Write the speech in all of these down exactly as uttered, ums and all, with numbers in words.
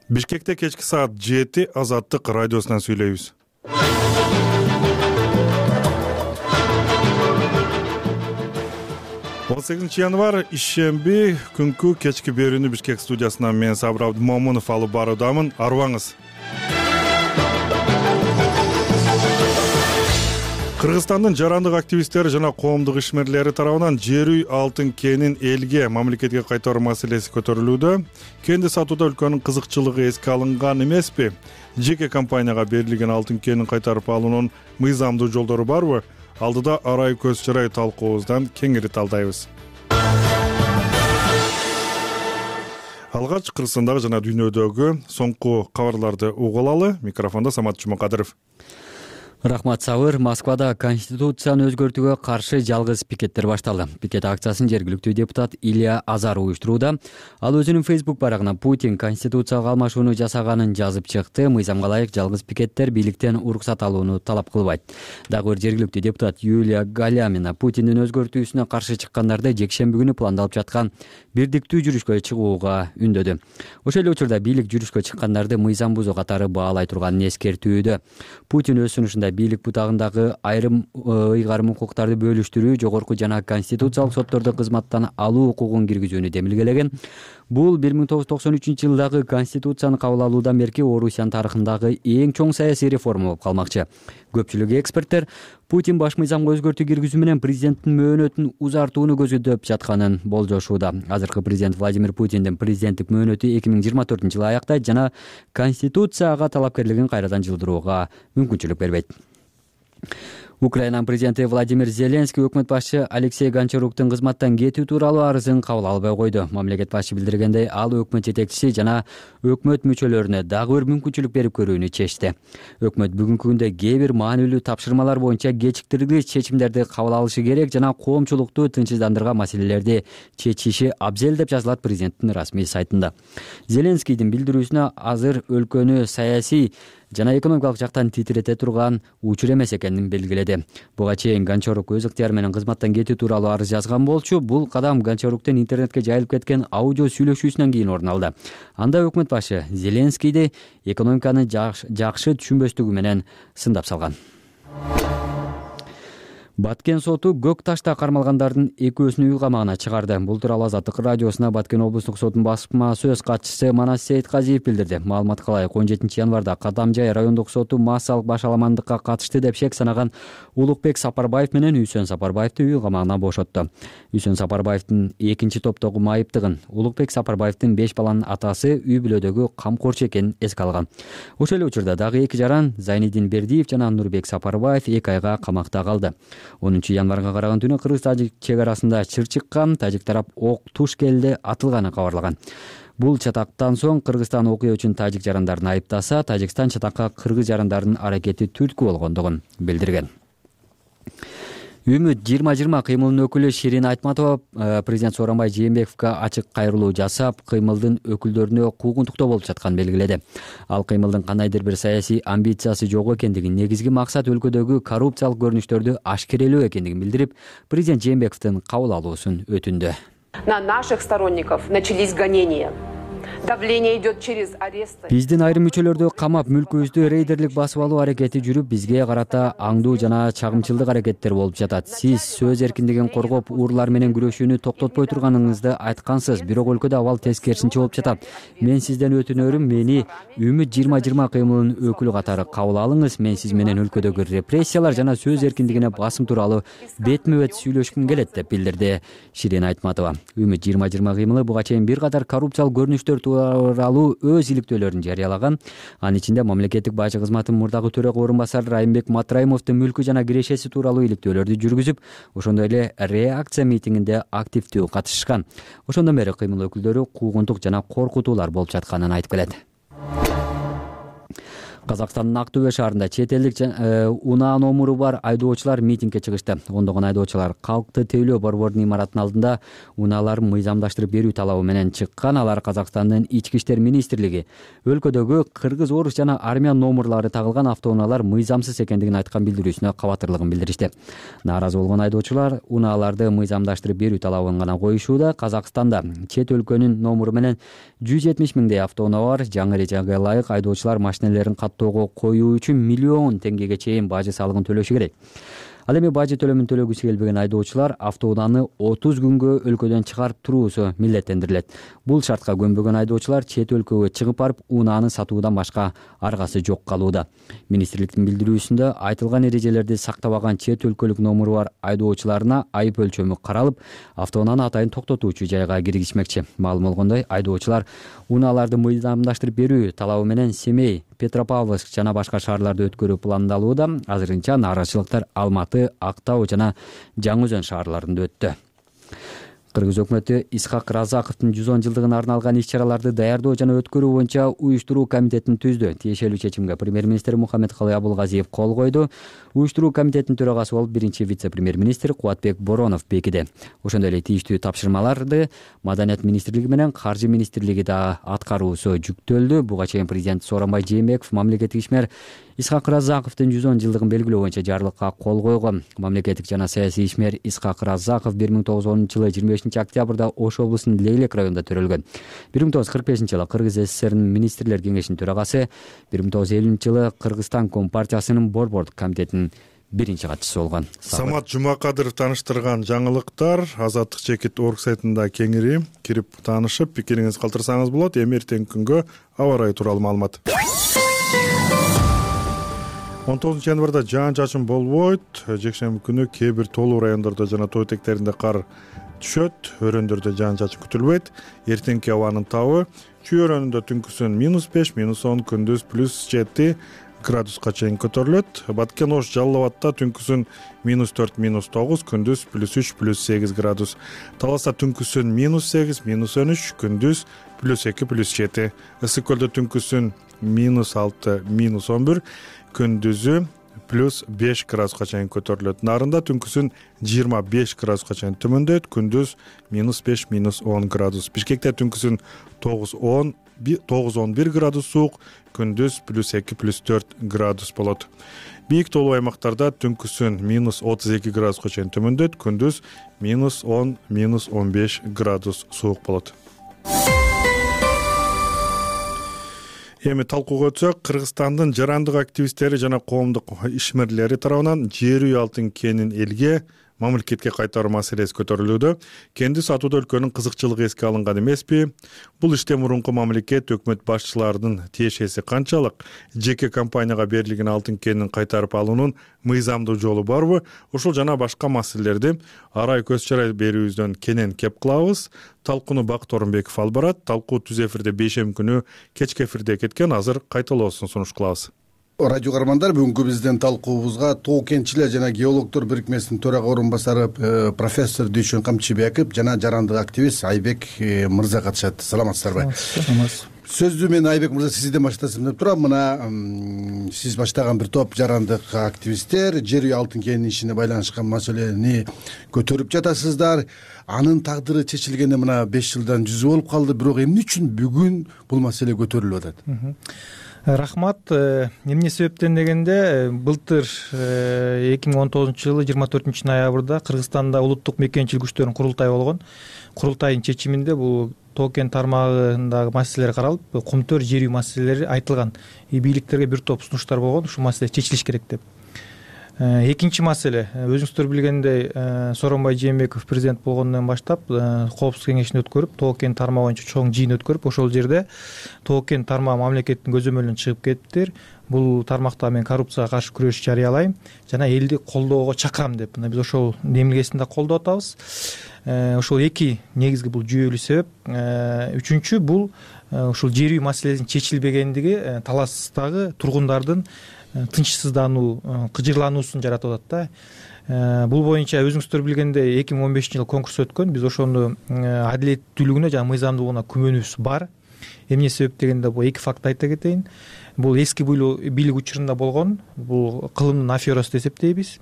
Бишкекте кечки саат жети Азаттык радиосунан сүйлөйбүз. он сегизинчи январь ишемби күнкү кечки берүүнү Бишкек студиясынан мен Сабыр Абдымомунов алып баруудамын. Арыбаңыз. Кыргызстандын жарандык активисттери жана коомдук ишмерлери тарабынан жер үй алтын кенин элге, мамлекетке кайтаруу маселеси көтөрүлүүдө. Кенди сатууда өлкөнүн кызыкчылыгы эске алынган эмеспи? Жеке компанияга берилген алтын кенин кайтарып алуунун мыйзамдуу жолдору барбы? Алдыда арай көз чырай талкуубуздан кеңири талдайбыз. Алгач Кыргызстандагы жана дүйнөдөгү соңку кабарларды угулалы. Микрофондо Самат Жумакадыров. Рахмат, Сабыр. Москвада конституцияны өзгөртүүгө каршы жалгыз пикеттер башталды. Пикет акциясын жергиликтүү депутат Илья Азар уюштурууда. Ал өзүнүн Facebook барагына Путин конституцияга алмашууну жасаганын жазып чыкты. Мыйзамга ылайык жалгыз пикеттер бийликтен уруксат алууну талап кылбайт. Дагы бир жергиликтүү депутат Юлия Галямина Путиндин өзгөртүүсүнө каршы чыккандарды жекшемби күнү пландалып жаткан бирдиктүү жүрүшкө чыгууга үндөдү. Ошол эле учурда бийлик жүрүшкө чыккандарды мыйзам бузуу катары баалай турганын эскертүүдө. Путин өз сунушунда бийлик бутагындагы айрым ыйгарым укуктарды бөлүштүрүү, жогорку жана конституциялык соттордо кызматтан алуу укугун киргизүүнү демилгелеген. Бул бир миң тогуз жүз токсон үчүнчү жылдагы конституцияны кабыл алуудан берки Орусиянын тарыхындагы эң чоң саясий реформа болуп калмакчы. Көпчүлүк эксперттер Путин баш мыйзамга өзгөртүү киргизүү менен президенттин мөөнөтүн узартууну көздөп жатканын болжошууда. Азыркы президент Владимир Путиндин президенттик мөөнөтү эки миң жыйырма төртүнчү жылы аяктайт жана конституцияга талапкерлигин кайрадан жылдырууга мүмкүнчүлүк бербейт. Украинанын президенти Владимир Зеленский өкмөт башчы Алексей Гончаруктун кызматтан кетүү тууралуу арызын кабыл албай койду. Мамлекет башчы билдиргендей, ал өкмөт жетекчиси жана өкмөт мүчөлөрүнө дагы бир мүмкүнчүлүк берип көрүүнү чечти. Өкмөт бүгүнкү күндө кээ бир маанилүү тапшырмалар боюнча кечиктирилгич чечимдерди кабыл алышы керек жана коомчулукту тынчсыздандырган маселелерди чечиши абзел деп жазылат президенттин расмий сайтында. Зеленскийдин билдирүүсүнө азыр өлкөнү саясий жана экономикалык жактан титирете турган учур эмес экенин белгиледи. Буга чейин Гончарук өз ыктыяры менен кызматтан кетүү тууралуу арыз жазган болчу. Бул кадам Гончаруктун интернетке жайылып кеткен аудио сүйлөшүүсүнөн кийин орун алды. Анда өкмөт башы Зеленскийди экономиканы жакшы түшүнбөстүгү менен сындап салган. Баткен соту Көк Ташта кармалгандардын экөөсүн үй камагына чыгарды. Бул тууралуу Азаттык радиосуна Баткен облустук сотунун басма сөз катчысы Манас Сейитказиев билдирди. Маалыматка ылайык он жетинчи январда Кадамжай райондук соту массалык башаламандыкка катышты деп шек санаган Улукбек Сапарбаев менен Үсөн Сапарбаевди үй камагынан бошотту. Үсөн Сапарбаевдин экинчи топтогу майыптыгын Улукбек Сапарбаевдин беш баланын атасы үй бүлөдөгү камкорчу экенин эске алган. Ошол эле учурда дагы эки жаран Зайнидин Бердиев жана Нурбек Сапарбаев эки айга камакта калды. онунчу январга караган түнү кыргыз-тажик чек арасында чыр чыккан, тажик тарап ок туш келди атылганын кабарлаган. Бул чатактан соң Кыргызстан окуя үчүн тажик жарандарын айыптаса, Тажикстан чатакка кыргыз жарандарынын аракети түрткү болгондугун билдирген. Үмүт жыйырма жыйырма кыймылынын өкүлү Ширин Айтматова президент Сооронбай Жээнбековго ачык кайрылуу жасап, кыймылдын өкүлдөрүнө куугунтуктоо болуп жатканын белгиледи. Ал кыймылдын кандайдыр бир саясий амбициясы жок экендигин, негизги максат өлкөдөгү коррупциялык көрүнүштөрдү ашкерелөө экендигин билдирип, президент Жээнбековдун кабыл алуусун өтүндү. На наших сторонников начались гонения. Давление идет через аресты. Биздин айрым мүчөлөрдү камап, мүлкүбүздү рейдерлик басып алуу аракети жүрүп, бизге карата аңдуу жана чагымчылдык аракеттер болуп жатат. Сиз сөз эркиндигин коргоп, урлар менен күрөшүүнү токтотпой турганыңызды айткансыз, бирок өлкөдө абал тескерисинче болуп жатат. Мен сизден өтүнөрүм, мени Үмүт жыйырма жыйырма кыймылынын өкүлү катары кабыл алыңыз. Мен сиз менен өлкөдөгү репрессиялар жана сөз эркиндигине басым тууралуу бетме-бет сүйлөшкүм келет деп билдирди Ширин Айтматова. Үмүт жыйырма жыйырма кыймылы буга чейин бир катар коррупциялык көрүнүштөр тууралуу өз иликтөөлөрүн жарыялаган. Анын ичинде мамлекеттик бажы кызматынын мурдагы төрага орун басары Райымбек Матраимовдун мүлкү жана кирешеси тууралуу иликтөөлөрдү жүргүзүп, ошондой эле реакция митингинде активдүү катышышкан. Ошондон бери кыймыл өкүлдөрү куугунтук жана коркутуулар болуп жатканын айтып келет. Казакстандын Ак Түбө шаарында чет элдик унаа номуру бар айдоочулар митингге чыгышты. Ондогон айдоочулар Калкты тейлөө борбордун имаратынын алдында унааларын мыйзамдаштырып берүү талабы менен чыккан. Алар Казакстандын ички иштер министрлиги өлкөдөгү кыргыз, орус жана армян номурлары тагылган автоунаалар мыйзамсыз экендигин айткан билдирүүсүнө кабатырлыгын билдиришти. Нааразы болгон айдоочулар унааларды мыйзамдаштырып берүү талабын гана коюшууда. Казакстанда чет өлкөнүн номуру менен жүз жетимиш миңдей автоунаа бар. Жаңы эрежеге ылайык айдоочулар машинелерин каттоого коюу үчүн миллион теңгеге чейин бажы салыгын төлөшү керек. Ал эми бажы төлөмүн төлөгүсү келбеген айдоочулар автоунааны отуз күнгө өлкөдөн чыгарып туруусу милдеттендирилет. Бул шартка көнбөгөн айдоочулар чет өлкөгө чыгып барып унааны сатуудан башка аргасы жок калууда. Министрликтин билдирүүсүндө айтылган эрежелерди сактабаган чет өлкөлүк номуру бар айдоочуларына айып өлчөмү каралып, автоунааны атайын токтотуучу жайга киргизмекчи. Маалым болгондой, айдоочулар унааларды мыйзамдаштырып берүү талабы менен Семей, Петропавловск жана башка шаарларды өткөрүү пландалууда. Азырынча нааразычылыктар Алматы, Актау жана Жаңы Өзөн шаарларында өттү. Кыргыз өкмөтү Исхак Разаковдун жүз он жылдыгына арналган иш-чараларды даярдоо жана өткөрүү боюнча уюштуруу комитетин түздү. Тиешелүү чечимге премьер-министр Мухаммедкалый Абулгазиев кол койду. Уюштуруу комитетинин төрагасы болуп биринчи вице-премьер-министр Кубатбек Боронов бекиди. Ошондой эле тийиштүү тапшырмаларды Маданият министрлиги менен Каржы министрлиги да аткаруусу жүктөлдү. Буга чейин президент Сооронбай Жээнбеков мамлекеттик ишмер Исхак Разаковдун жүз он жылдыгын белгилөө боюнча жарлыкка кол койгон. Мамлекеттик жана саясий ишмер Исхак Разаков бир миң тогуз жүз онунчу жылы жыйырма бешинчи октябрда Ош облусунун Лейлек районунда төрөлгөн. бир миң тогуз жүз кырк бешинчи жылы Кыргыз СССРинин министрлер кеңешинин төрагасы, бир миң тогуз жүз элүүнчү жылы Кыргызстан Компартиясынын борбордук комитетинин биринчи катчысы болгон. Самат Жумакадыров тааныштырган жаңылыктар азаттык чекит точка орг сайтында кеңири кирип таанышып, пикириңизди калтырсаңыз болот. Эми эртеңки күнгө аба ырайы тууралуу маалымат. он тогузунчу январда жаан-чачын болбойт. Жекшемби күнү кээ бир тоолуу райондордо жана тоо этектеринде кар түшөт. Өрөөндөрдө жаан-чачын күтүлбөйт. Эртеңки абанын табы Чүй өрөөнүндө түнкүсүн минус беш, минус он, күндүз плюс жети градуска чейин көтөрүлөт. Баткен, Ош, Жалал Абадта түнкүсүн минус төрт, минус тогуз, күндүз плюс үч, плюс сегиз градус. Таласта түнкүсүн минус сегиз, минус он үч, күндүз плюс эки, плюс жети. Ысык көлдө түнкүсүн минус алты, минус он бир, күндүзү плюс беш градуска чейин көтөрүлөт. Нарында түнкүсүн жыйырма беш градуска чейин төмөндөйт, күндүз минус беш, минус он градус. Бишкекте түнкүсүн тогуз он, тогуз он бир градус суук, күндүз плюс эки, плюс төрт градус болот. Бийик тоолуу аймактарда түнкүсүн минус отуз эки градуска чейин төмөндөйт, күндүз минус он, минус он беш градус суук болот. Эми талкууга өтсөк, Кыргызстандын жарандык активисттери жана коомдук ишмерлери тарабынан жер үй алтын кенин элге, мамлекетке кайтаруу маселеси көтөрүлүүдө. Кенди сатууда өлкөнүн кызыкчылыгы эске алынган эмеспи? Бул иште мурунку мамлекет, өкмөт башчыларынын тиешеси канчалык? Жеке компанияга берилген алтын кенин кайтарып алуунун мыйзамдуу жолу барбы? Ушул жана башка маселелерди арай көз чарай берүүбүздөн кенен кеп кылабыз. Талкууну Бакыт Орунбеков алып барат. Талкуу түз эфирде бейшемби күнү кечки эфирде кеткен. Азыр кайталоосун сунуш кылабыз. Радио кармандар, бүгүнкү биздин талкуубузга Тоо кенчилер жана геологдор бирикмесинин төрага орун басары профессор Дүйшөн Камчыбеков жана жарандык активист Айбек мырза катышат. Саламатсыздарбы? Саламатсыз. Сөздү мен Айбек мырза сизден баштасам деп турам. Мына сиз баштаган бир топ жарандык активисттер жер үй алтын кенинин ишине байланышкан маселени көтөрүп жатасыздар. Анын тагдыры чечилгенде мына беш жылдан жүзү болуп калды. Бирок эмне үчүн бүгүн бул маселе көтөрүлүп атат? Рахмат. Эмне себептен дегенде, былтыр эки миң он тогузунчу жылы жыйырма төртүнчү ноябрда Кыргызстанда улуттук мекенчилик күчтөрүнүн курултайы болгон. Курултайдын чечиминде бул Тоо кен тармагындагы маселелер каралып, кумтөр жер үй маселелери айтылган. Бийликтерге бир топ сунуштар болгон, ушул маселе чечилиш керек деп. Экинчи маселе, өзүңүздөр билгендей, Сооронбай Жээнбеков президент болгондон баштап коопсуздук кеңешин өткөрүп, Тоо кен тармагы боюнча чоң жыйын өткөрүп, ошол жерде Тоо кен тармагы мамлекеттин көзөмөлүнөн чыгып кетиптир. Бул тармакта мен коррупцияга каршы күрөш жарыялайм жана элди колдоого чакырам деп. Мына биз ошол демилгесин да колдоп атабыз. Ошол эки негизги бул жүйөлүү себеп. Үчүнчү бул ушул жер үй маселесинин чечилбегендиги таластагы тургундардын тынчсыздануу, кыжырлануусун жаратып атат да. Бул боюнча өзүңүздөр билгендей эки миң он бешинчи жылы конкурс өткөн. Биз ошону адилеттүүлүгүнө жана мыйзамдуулугуна күмөнүбүз бар. эмне себеп дегенде бул эки факт айта кетейин. Бул эски бийлик учурунда болгон, бул кылымдын аферасы деп эсептейбиз.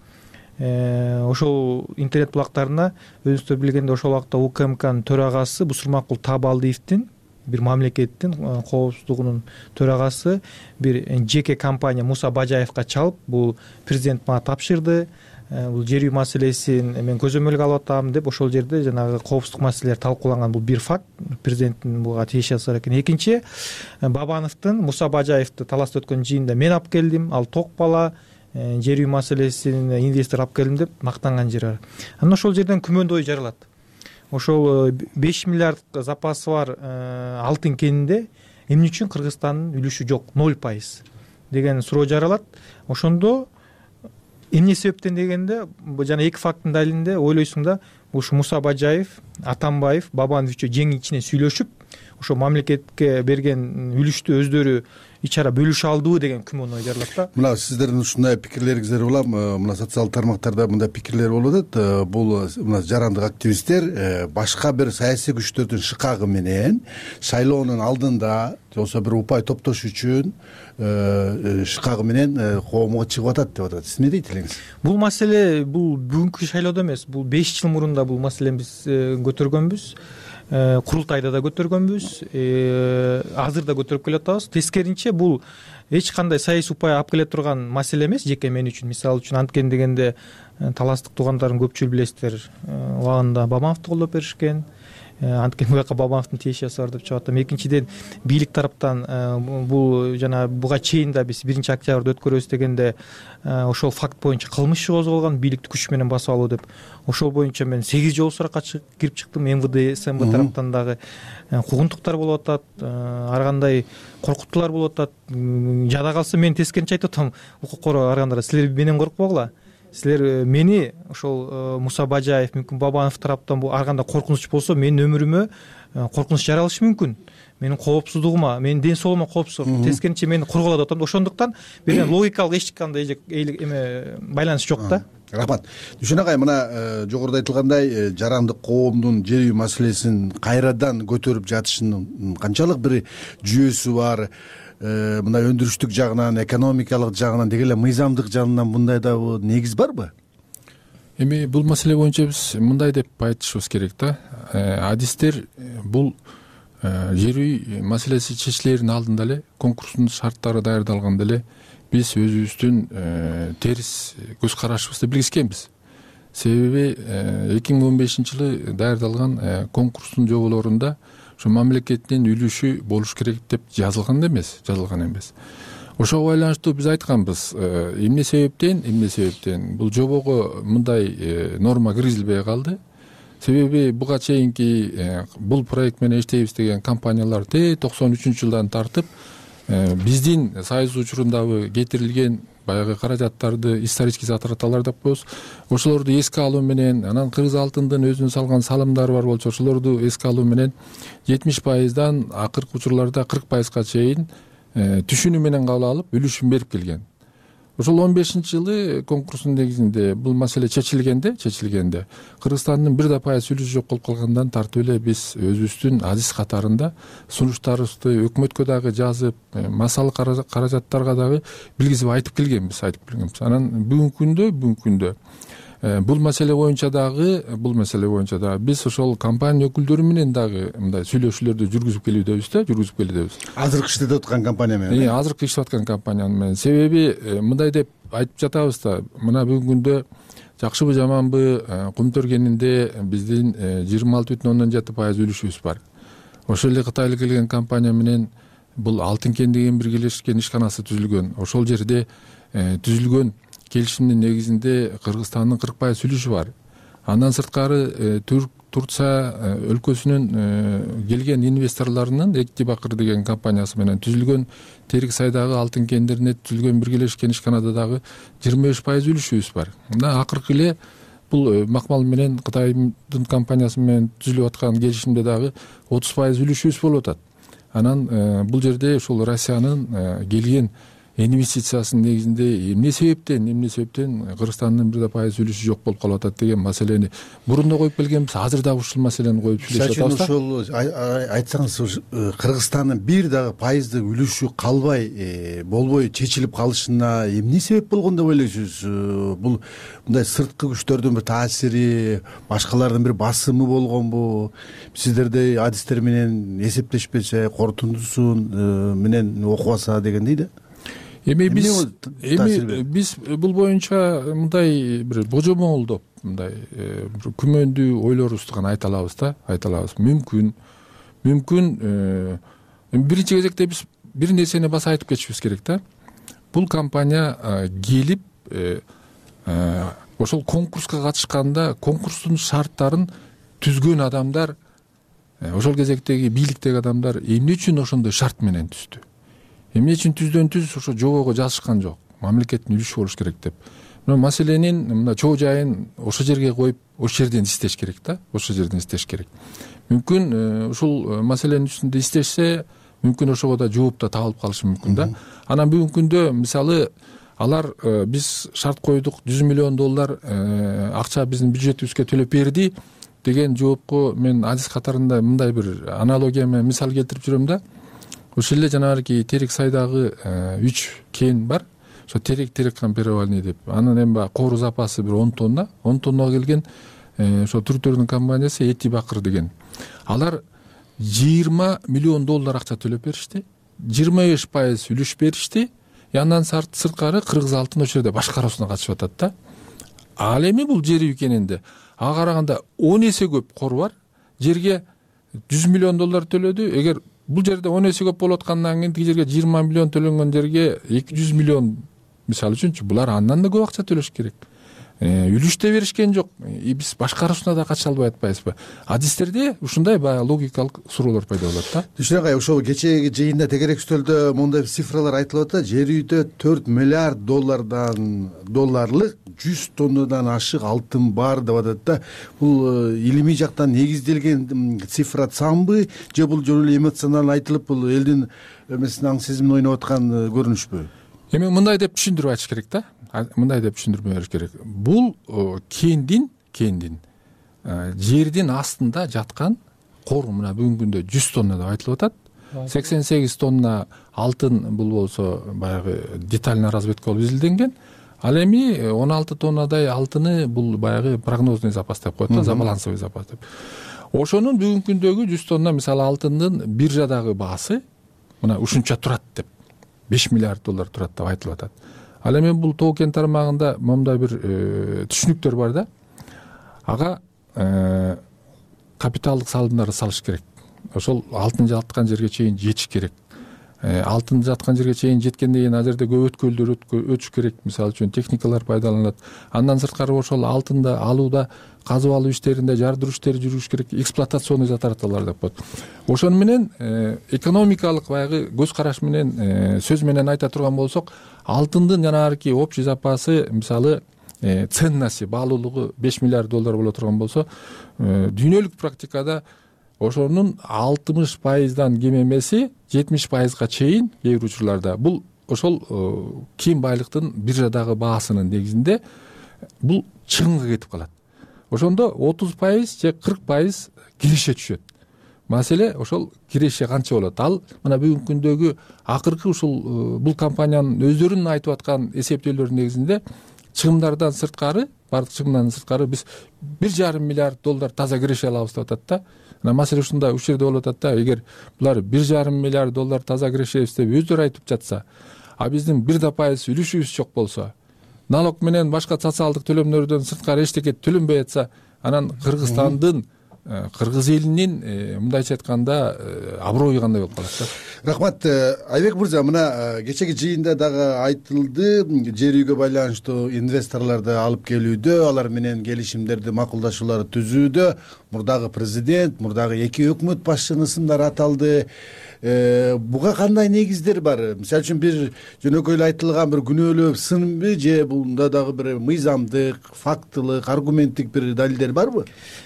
Ошол интернет булактарына өзүңүздөр билгендей ошол убакта УКМКнын төрагасы Бусурмакул Таабалдиевдин, бир мамлекеттин коопсуздугунун төрагасы, бир жеке компания Муса Бажаевга чалып, бул президент мага тапшырды, бул жер үй маселесин мен көзөмөлгө алып атам деп ошол жерде жанагы коопсуздук маселелери талкууланган. Бул бир факт, президенттин буга тийише асар экен. Экинчи, Бабановдун Муса Бажаевди таласта өткөн жыйында мен алып келдим, ал ток бала, жер үй маселесин инвестор алып келдим деп мактанган жери бар. Анан ошол жерден күмөндүү ой жаралат. Ошол беш миллиард запасы бар алтын кенинде эмне үчүн Кыргызстандын үлүшү жок, ноль пайыз деген суроо жаралат. Ошондо эмне себептен дегенде, жана эки факттын далилинде ойлойсуң да, ушу Муса Бажаев, Атамбаев, Бабанов үчөө жең ичине сүйлөшүп, ошо мамлекетке берген үлүштү өздөрү ичара бөлүшө алдыбы деген күмөн ой жаралат да. Мына сиздердин ушундай пикирлериңиздер улам мына социалдык тармактарда мындай пикирлер болуп атат. Бул мына жарандык активисттер башка бир саясий күчтөрдүн шыкагы менен шайлоонун алдында же болбосо бир упай топтош үчүн шыкагы менен коомго чыгып атат деп атат. Сиз эмне дейт элеңиз? Бул маселе бул бүгүнкү шайлоодо эмес, бул беш жыл мурун да бул маселени биз көтөргөнбүз. Курултайда да көтөргөнбүз, азыр да көтөрүп келатабыз. Тескеринче бул эч кандай саясий упай алып келе турган маселе эмес жеке мен үчүн. Мисалы үчүн анткени дегенде таластык туугандарын көпчүлүк билесиздер, убагында Бабановду колдоп беришкен. Анткени буяка Бабановдун тиешеси бар деп чыгып атам. Экинчиден, бийлик тараптан бул жана буга чейин да биз биринчи октябрда өткөрөбүз дегенде ошол факт боюнча кылмыш иши козголгон, бийликти күч менен басып алуу деп. Ошол боюнча мен сегиз жолу суракка кирип чыктым. МВД, СМБ тараптан дагы куугунтуктар болуп атат, ар кандай коркутуулар болуп атат. Жада калса мен тескеринче айтып атам, укук коргоо аргандар, силер менен коркпогула. Силер мени ошол Муса Бажаев, мүмкүн Бабанов тараптан бул ар кандай коркунуч болсо, менин өмүрүмө коркунуч жаралышы мүмкүн. Менин коопсуздугума, менин ден соолугума коопсуз. Тескеринче мени корголот атам. Ошондуктан бир логикалык эч кандай эме байланыш жок да. Рахмат. Дүшөн агай, мына жогоруда айтылгандай жарандык коомдун жер үй маселесин кайрадан көтөрүп жатышынын канчалык бир жүйөсү бар, мындай өндүрүштүк жагынан, экономикалык жагынан, деги эле мыйзамдык жагынан мындай да негиз барбы? Эми бул маселе боюнча биз мындай деп айтышыбыз керек да. Адистер бул жер үй маселеси чечилерин алдында эле конкурстун шарттары даярдалганда эле биз өзүбүздүн терс көз карашыбызды билгизгенбиз. Себеби эки миң он бешинчи жылы даярдалган конкурстун жоболорунда ушу мамлекеттин үлүшү болуш керек деп жазылган эмес, жазылган эмес. Ошого байланыштуу биз айтканбыз, эмне себептен, эмне себептен бул жобого мындай норма киргизилбей калды. Себеби буга чейинки бул проект менен иштейбиз деген компаниялар те токсон үчүнчү жылдан тартып биздин союз учурундагы кетирилген баягы каражаттарды, исторический затраталар деп коебуз, ошолорду эске алуу менен, анан кыргыз алтындын өзүнүн салган салымдары бар болчу, ошолорду эске алуу менен жетимиш пайыздан акыркы учурларда кырк пайызга чейин түшүнүү менен кабыл алып, үлүшүн берип келген. Ошол он бешинчи жылы конкурстун негизинде бул маселе чечилгенде, чечилгенде Кыргызстандын бир да пайыз үлүшү жок болуп калгандан тартып эле биз өзүбүздүн адис катарында сунуштарыбызды өкмөткө дагы жазып, массалык каражаттарга дагы билгизип айтып келгенбиз, айтып келгенбиз. Анан бүгүнкү күндө, бүгүнкү күндө бул маселе боюнча дагы, бул маселе боюнча дагы биз ошол компания өкүлдөрү менен дагы мындай сүйлөшүүлөрдү жүргүзүп келүүдөбүз да, жүргүзүп келүүдөбүз. Азыркы иштеп аткан компания менен. Азыркы иштеп аткан компания менен. Себеби мындай деп айтып жатабыз да, мына бүгүнкү күндө жакшыбы жаманбы Кумтөр кенинде биздин жыйырма алты бүтүн ондон жети пайыз үлүшүбүз бар. Ошол эле Кытайлык келген компания менен бул Алтын кен деген биргелешкен ишканасы түзүлгөн. Ошол жерде түзүлгөн келишимдин негизинде Кыргызстандын кырк пайыз үлүшү бар. Андан сырткары Турция өлкөсүнүн келген инвесторлорунун Экти Бакыр деген компаниясы менен түзүлгөн Терик сайдагы алтын кендерине түзүлгөн биргелешкен ишканада дагы жыйырма беш пайыз үлүшүбүз бар. Мына акыркы эле бул Макмал менен Кытайдын компаниясы менен түзүлүп аткан келишимде дагы отуз пайыз үлүшүбүз болуп атат. Анан бул жерде ушул Россиянын келген инвестициясынын негизинде эмне себептен эмне себептен Кыргызстандын бир да пайыз үлүшү жок болуп калып атат деген маселени мурун да коюп келгенбиз, азыр дагы ушул маселени коюп сүйлөшүп атабыз да. Ошол айтсаңыз, Кыргызстандын бир дагы пайыздык үлүшү калбай болбой чечилип калышына эмне себеп болгон деп ойлойсуз? Бул мындай сырткы күчтөрдүн бир таасири, башкалардын бир басымы болгонбу? Сиздердей адистер менен эсептешпесе, корутундусун менен окубаса дегендей да. Эми биз эми биз бул боюнча мындай бир божомолдоп мындай күмөндүү ойлорубузду гана айта алабыз да, айта алабыз. Мүмкүн мүмкүн биринчи кезекте биз бир нерсени баса айтып кетишибиз керек да. Бул компания келип ошол конкурска катышканда конкурстун шарттарын түзгөн адамдар, ошол кезектеги бийликтеги адамдар эмне үчүн ошондой шарт менен түздү? Эмне үчүн түздөн түз ошо жобого жазышкан жок? Мамлекеттин үлүшү болуш керек деп. Мына маселенин мына чоо жайын ошол жерге коюп, ошол жерден издеш керек да, ошол жерден издеш керек. Мүмкүн ушул маселенин үстүндө издешсе, мүмкүн ошого да жооп да табылып калышы мүмкүн да. Анан бүгүнкү күндө мисалы алар биз шарт койдук, жүз миллион доллар акча биздин бюджетибизге төлөп берди деген жоопко мен адис катарында мындай бир аналогия менен мисал келтирип жүрөм да. Ошол эле жанагы Терек сайдагы үч кен бар. Ошо Терек Терекхан перевальный деп. Анын эми баягы кору запасы бир он тонна, он тоннага келген ошо Түрктөрдүн компаниясы Эти Бакыр деген. Алар жыйырма миллион доллар акча төлөп беришти. жыйырма беш пайыз үлүш беришти. Андан сырткары Кыргыз алтын ошол жерде башкаруусуна катышып атат да. Ал эми бул жер үйкенинде ага караганда он эсе көп кору бар. Жерге жүз миллион доллар төлөдү. Эгер бул жерде он эсе көп болуп аткандан кийин тиги жерге жыйырма миллион төлөнгөн жерге эки жүз миллион мисалы үчүнчү булар андан да көп акча төлөш керек. Үлүш да беришкен жок. Биз башкаруусуна да кача албай атпайбызбы? Адистерде ушундай баягы логикалык суроолор пайда болот да. Түшүнөк ай, ошол кечээги жыйында тегерек стөлдө моундай цифралар айтылып атат. Жер үйдө төрт миллиард доллардан долларлык жүз тоннадан ашык алтын бар деп атат да. Бул илимий жактан негизделген цифра самбы же бул жөн эле эмоционалдуу айтылып, бул элдин эмесин аң сезимин ойноп аткан көрүнүшпү? Эми мындай деп түшүндүрүп айтыш керек да. Мындай деп түшүндүрүп бериш керек. Бул кендин кендин жердин астында жаткан кор, мына бүгүнкү күндө жүз тонна деп айтылып атат. сексен сегиз тонна алтын бул болсо баягы детальный разведка болуп изилденген. Ал эми он алты тоннадай алтыны бул баягы прогнозный запас деп коет да, забалансовый запас деп. Ошонун бүгүнкү күндөгү жүз тонна мисалы алтындын биржадагы баасы мына ушунча турат деп, беш миллиард доллар турат деп айтылып атат. Ал эми бул тоо кен тармагында моундай бир түшүнүктөр бар да. Ага капиталдык салымдарды салыш керек. Ошол алтын жаткан жерге чейин жетиш керек. Алтын жаткан жерге чейин жеткенден кийин ал жерде көп өткөлдөр өтүш керек. Мисалы үчүн техникалар пайдаланылат. Андан сырткары ошол алтынды алууда казып алуу иштеринде жардыруу иштери жүрүш керек. Эксплуатационный затраталар деп коет. Ошону менен экономикалык баягы көз караш менен сөз менен айта турган болсок, алтындын жанагы общий запасы мисалы ценности, баалуулугу беш миллиард доллар боло турган болсо, дүйнөлүк практикада ошонун алтымыш пайыздан кем эмеси жетимиш пайызга чейин кээ бир учурларда бул ошол кийин байлыктын биржадагы баасынын негизинде бул чыгымга кетип калат. Ошондо отуз пайыз же кырк пайыз киреше түшөт. Маселе ошол киреше канча болот? Ал мына бүгүнкү күндөгү акыркы ушул бул компаниянын өздөрүнүн айтып аткан эсептөөлөрүнүн негизинде чыгымдардан сырткары, бардык чыгымдан сырткары биз бир жарым миллиард доллар таза киреше алабыз деп атат да. Мына маселе ушунда ушул жерде болуп атат да. Эгер булар бир жарым миллиард доллар таза кирешебиз деп өздөрү айтып жатса, а биздин бир да пайыз үлүшүбүз жок болсо, налог менен башка социалдык төлөмдөрдөн сырткары эчтеке төлөнбөй атса, анан Кыргызстандын, кыргыз элинин мындайча айтканда аброю кандай болуп калат да. Рахмат Айбек мырза, мына кечеги жыйында дагы айтылды, жер үйгө байланыштуу инвесторлорду алып келүүдө, алар менен келишимдерди, макулдашууларды түзүүдө мурдагы президент, мурдагы эки өкмөт башчынын ысымдары аталды. Буга кандай негиздер бар? Мисалы үчүн бир жөнөкөй эле айтылган бир күнөөлүү сынбы же бунда дагы бир мыйзамдык, фактылык, аргументтик бир далилдер барбы?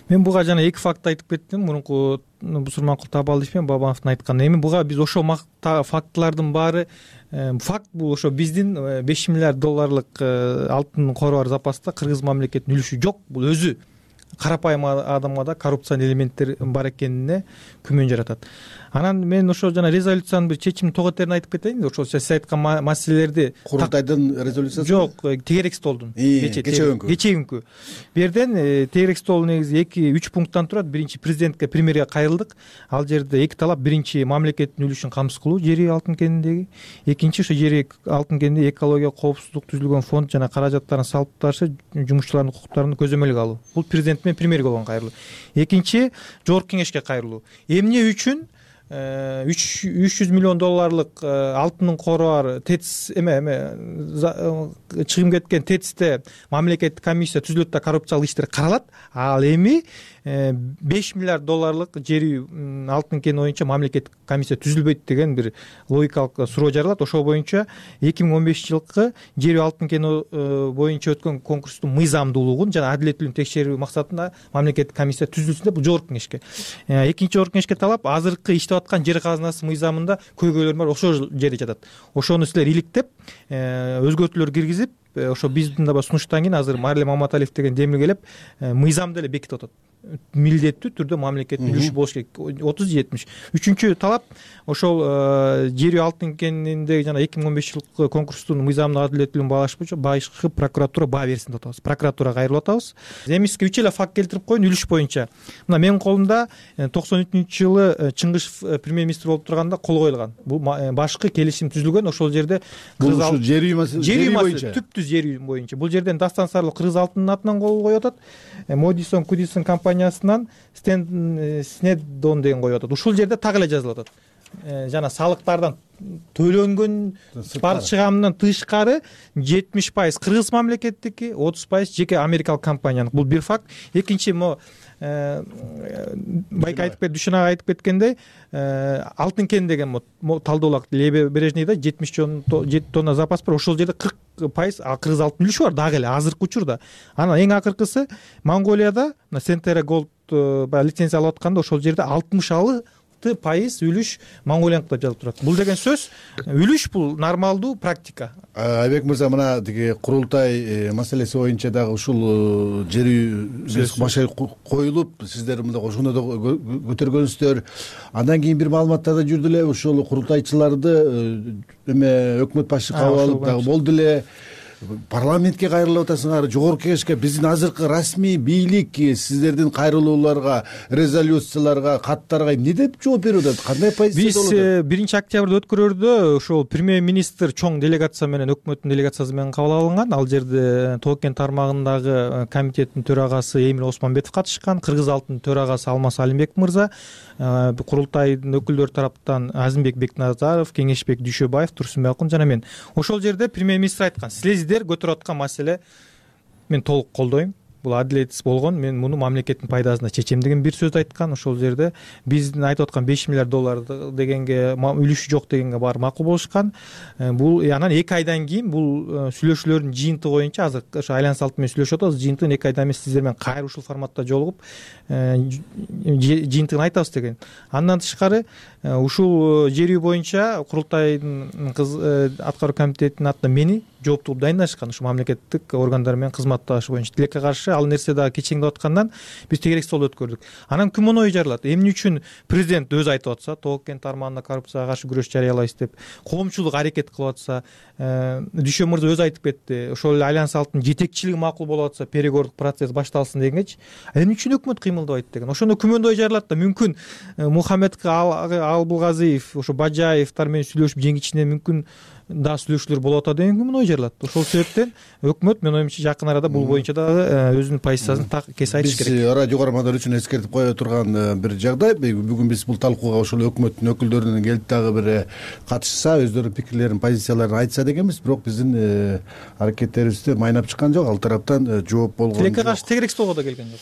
Мен буга жана эки факт айтып кеттим. Мурунку Бусурманкул Табал ишпен Бабановдун айтканы. Эми буга биз ошол фактылардын баары факт. Бул ошо биздин беш миллиард долларлык алтын кору бар запаста кыргыз мамлекетинин үлүшү жок. Бул өзү карапайым адамга да коррупциянын элементтери бар экенине күмөн жаратат. Анан мен ошо жана резолюциянын бир чечим тоготерин айтып кетейин. Ошол сиз айткан маселелерди курултайдын резолюциясы жок, тегерек столдун кечеүнкү кечеүнкү бу жерден тегерек стол негизи эки үч пункттан турат. Биринчи, президентке, премьерге кайрылдык. Ал жерде эки талап: биринчи, мамлекеттин үлүшүн камсыз кылуу жер алтын кенинdeги; экинчи, ошо жер алтын кенинде экология, коопсуздук түзүлгөн фонд жана каражаттарын салып ташы жумушчулардын укуктарын көзөмөлгө алуу. Бул президент менен премьерге болгон кайрылуу. Экинчи, жогорку кеңешке кайрылуу. Эмне үчүн үч жүз миллион долларлык алтындын кору бар ТЭЦ эме эме чыгым кеткен ТЭЦте мамлекеттик комиссия түзүлөт да коррупциялык иштер каралат. Ал эми беш миллиард долларлык жер алтын кени боюнча мамлекеттик комиссия түзүлбөйт деген бир логикалык суроо жаралат. Ошол боюнча эки миң он бешинчи жылкы жер алтын кени боюнча өткөн конкурстун мыйзамдуулугун жана адилеттүүлүгүн текшерүү максатында мамлекеттик комиссия түзүлсүн деп бул жогорку кеңешке. Экинчи, жогорку кеңешке талап: азыркы иштеп аткан жер казынасы мыйзамында көйгөйлөр бар, ошол жерде жатат. Ошону силер иликтеп өзгөртүүлөр киргизип, ошо биздин да сунуштан кийин азыр Мариле Маматалиев деген демил келип мыйзамды эле бекитип атат. Милдеттүү түрдө мамлекеттин үлүшү болуш керек, отуз жетимиш. Үчүнчү талап: ошол жер алтын кениндеги жана эки миң он бешинчи жылкы конкурстун мыйзамдык адилеттүүлүгүн баалаш боюнча башкы прокуратура баа берсин деп атабыз. Прокуратурага кайрылып атабыз. Эми сизге үч эле факт келтирип коеюн үлүш боюнча. Мына менин колумда токсон үчүнчү жылы Чыңгышев премьер-министр болуп турганда кол коюлган. Бул башкы келишим түзүлгөн. Ошол жерде бул ушу жер үй маселеси боюнча, түптүз жер үй боюнча. Бул жерден Дастан Сарылов кыргыз алтынынын атынан кол коюп атат. Модисон Кудисон компаниясынан Снеддон деген коюп атат. Ушул жерде так эле жазылып атат. Жана салыктардан төлөнгөн бар чыгамынан тышкары жетимиш пайыз кыргыз мамлекеттики, отуз пайыз жеке америкалык компаниянын. Бул бир факт. Экинчи, байка айтып кет, Дүйшөн ага айтып кеткендей, алтын кен деген талдоолак Лебережныйда жетимиш тонна запас бар. Ошол жерде кырк пайыз кыргыз алтын үлүшү бар дагы эле азыркы учурда. Анан эң акыркысы Монголияда Сентера Голд баягы лицензия алып атканда ошол жерде алтымыш алты пайыз үлүш Монголияныкы деп жазылып турат. Бул деген сөз үлүш бул нормалдуу практика. Айбек мырза, мына тиги курултай маселеси боюнча дагы ушул жер үй башы коюлуп, сиздер мында ошондо да көтөргөнсүздөр. Андан кийин бир маалыматтарда жүрдү эле, ушул курултайчыларды эме өкмөт башы кабыл алып дагы болду эле. Парламентке кайрылып атасыңар, жогорку кеңешке. Биздин азыркы расмий бийлик сиздердин кайрылууларга, резолюцияларга, каттарга эмне деп жооп берип атат? Кандай позиция болот? Биз биринчи октябрда өткөрөрдө ошол премьер-министр чоң делегация менен, өкмөттүн делегациясы менен кабыл алынган. Ал жерде Тоо кен тармагындагы комитеттин төрагасы Эмил Осмонбетов катышкан, кыргыз алтынын төрагасы Алмаз Алимбек мырза, курултайдын өкүлдөрү тараптан Азимбек Бекназаров, Кеңешбек Дүйшөбаев, Турсунбек Акун жана мен. Ошол жерде премьер-министр айткан: силер көтөрүп аткан маселе мен толук колдойм. Бул адилетсиз болгон. Мен муну мамлекеттин пайдасына чечем деген бир сөз айткан. Ошол жерде биздин айтып аткан беш миллиард доллар дегенге, үлүшү жок дегенге баары макул болушкан. Бул анан эки айдан кийин бул сүйлөшүүлөрдүн жыйынтыгы боюнча азыр ошо айлан салты менен сүйлөшүп атабыз. Жыйынтыгын эки айдан эмес сиздер менен кайра ушул форматта жолугуп жыйынтыгын айтабыз деген. Андан тышкары ушул жер үй боюнча курултайдын аткаруу комитетинин атынан мени жооптуу дайындашкан. Ушу мамлекеттик органдар менен кызматташы боюнча тилекке каршы ал нерсе дагы кечеңдеп аткандан биз тегерек стол өткөрдүк. Анан күмөн ой жаралат. Эмне үчүн президент өзү айтып атса, Тоо кен тармагында коррупцияга каршы күрөш жарыялайбыз деп, коомчулук аракет кылып атса, Дүйшөн мырза өзү айтып кетти, ошол эле айлан салттын жетекчилиги макул болуп атса, переговордук процесс башталсын дегенчи, эмне үчүн өкмөт кыймылдабайт деген. Ошондо күмөн ой жаралат да, мүмкүн Мухаммед Албулгазиев, ошо Бажаевтар менен сүйлөшүп жеңичине мүмкүн да сүйлөшүүлөр болуп атат деген күмөн ой жаралат. Ошол себептен өкмөт мен оюмча жакын арада бул боюнча дагы өзүнүн позициясын так кесе айтыш керек. Биз радио угармандар үчүн эскертип кое турган бир жагдай, бүгүн биз бул талкууга ошол өкмөттүн өкүлдөрүнөн келип дагы бир катышса, өздөрүнүн пикирлерин, позицияларын айтса дегенбиз. Бирок биздин аракеттерибизде майнап чыккан жок. Ал тараптан жооп болгон. Тилекке каршы тегерек столго да келген жок.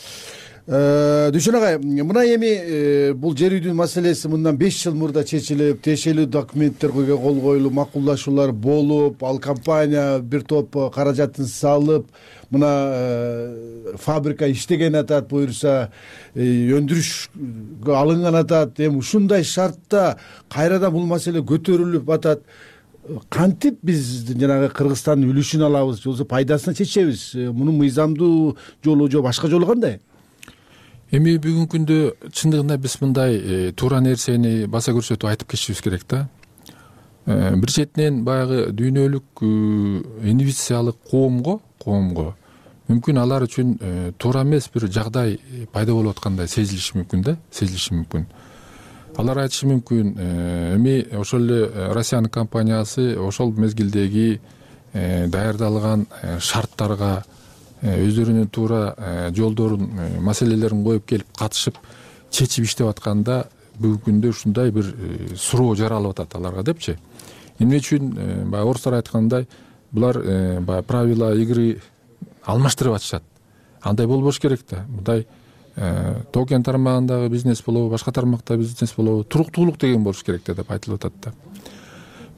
Дүйшөн агай, мына эми бул жер үйдүн маселеси мындан беш жыл мурда чечилип, тиешелүү документтер кол коюлуп, макулдашуулар болуп, ал компания бир топ каражатын салып, мына фабрика иштеген атат, буюрса өндүрүшкө алынган атат. Эми ушундай шартта кайрадан бул маселе көтөрүлүп атат. Кантип биз жанагы Кыргызстандын үлүшүн алабыз, же болбосо пайдасына чечебиз? Мунун мыйзамдуу жолу же башка жолу кандай? Эми бүгүнкү күндө чындыгында биз мындай туура нерсени баса көрсөтүп айтып кетишибиз керек да. Бир четинен баягы дүйнөлүк инвестициялык коомго коомго мүмкүн алар үчүн туура эмес бир жагдай пайда болуп аткандай сезилиши мүмкүн да, сезилиши мүмкүн. Алар айтышы мүмкүн, эми ошол эле Россиянын компаниясы ошол мезгилдеги даярдалган шарттарга өздөрүнүн туура жолдорун, маселелерин коюп келип катышып чечип иштеп атканда бүгүнкү күндө ушундай бир суроо жаралып атат аларга депчи. Эмне үчүн баягы орустар айткандай, булар баягы правила игры алмаштырып атышат. Андай болбош керек да. Мындай токен тармагындагы бизнес болобу, башка тармакта бизнес болобу, туруктуулук деген болуш керек деп айтылып атат да.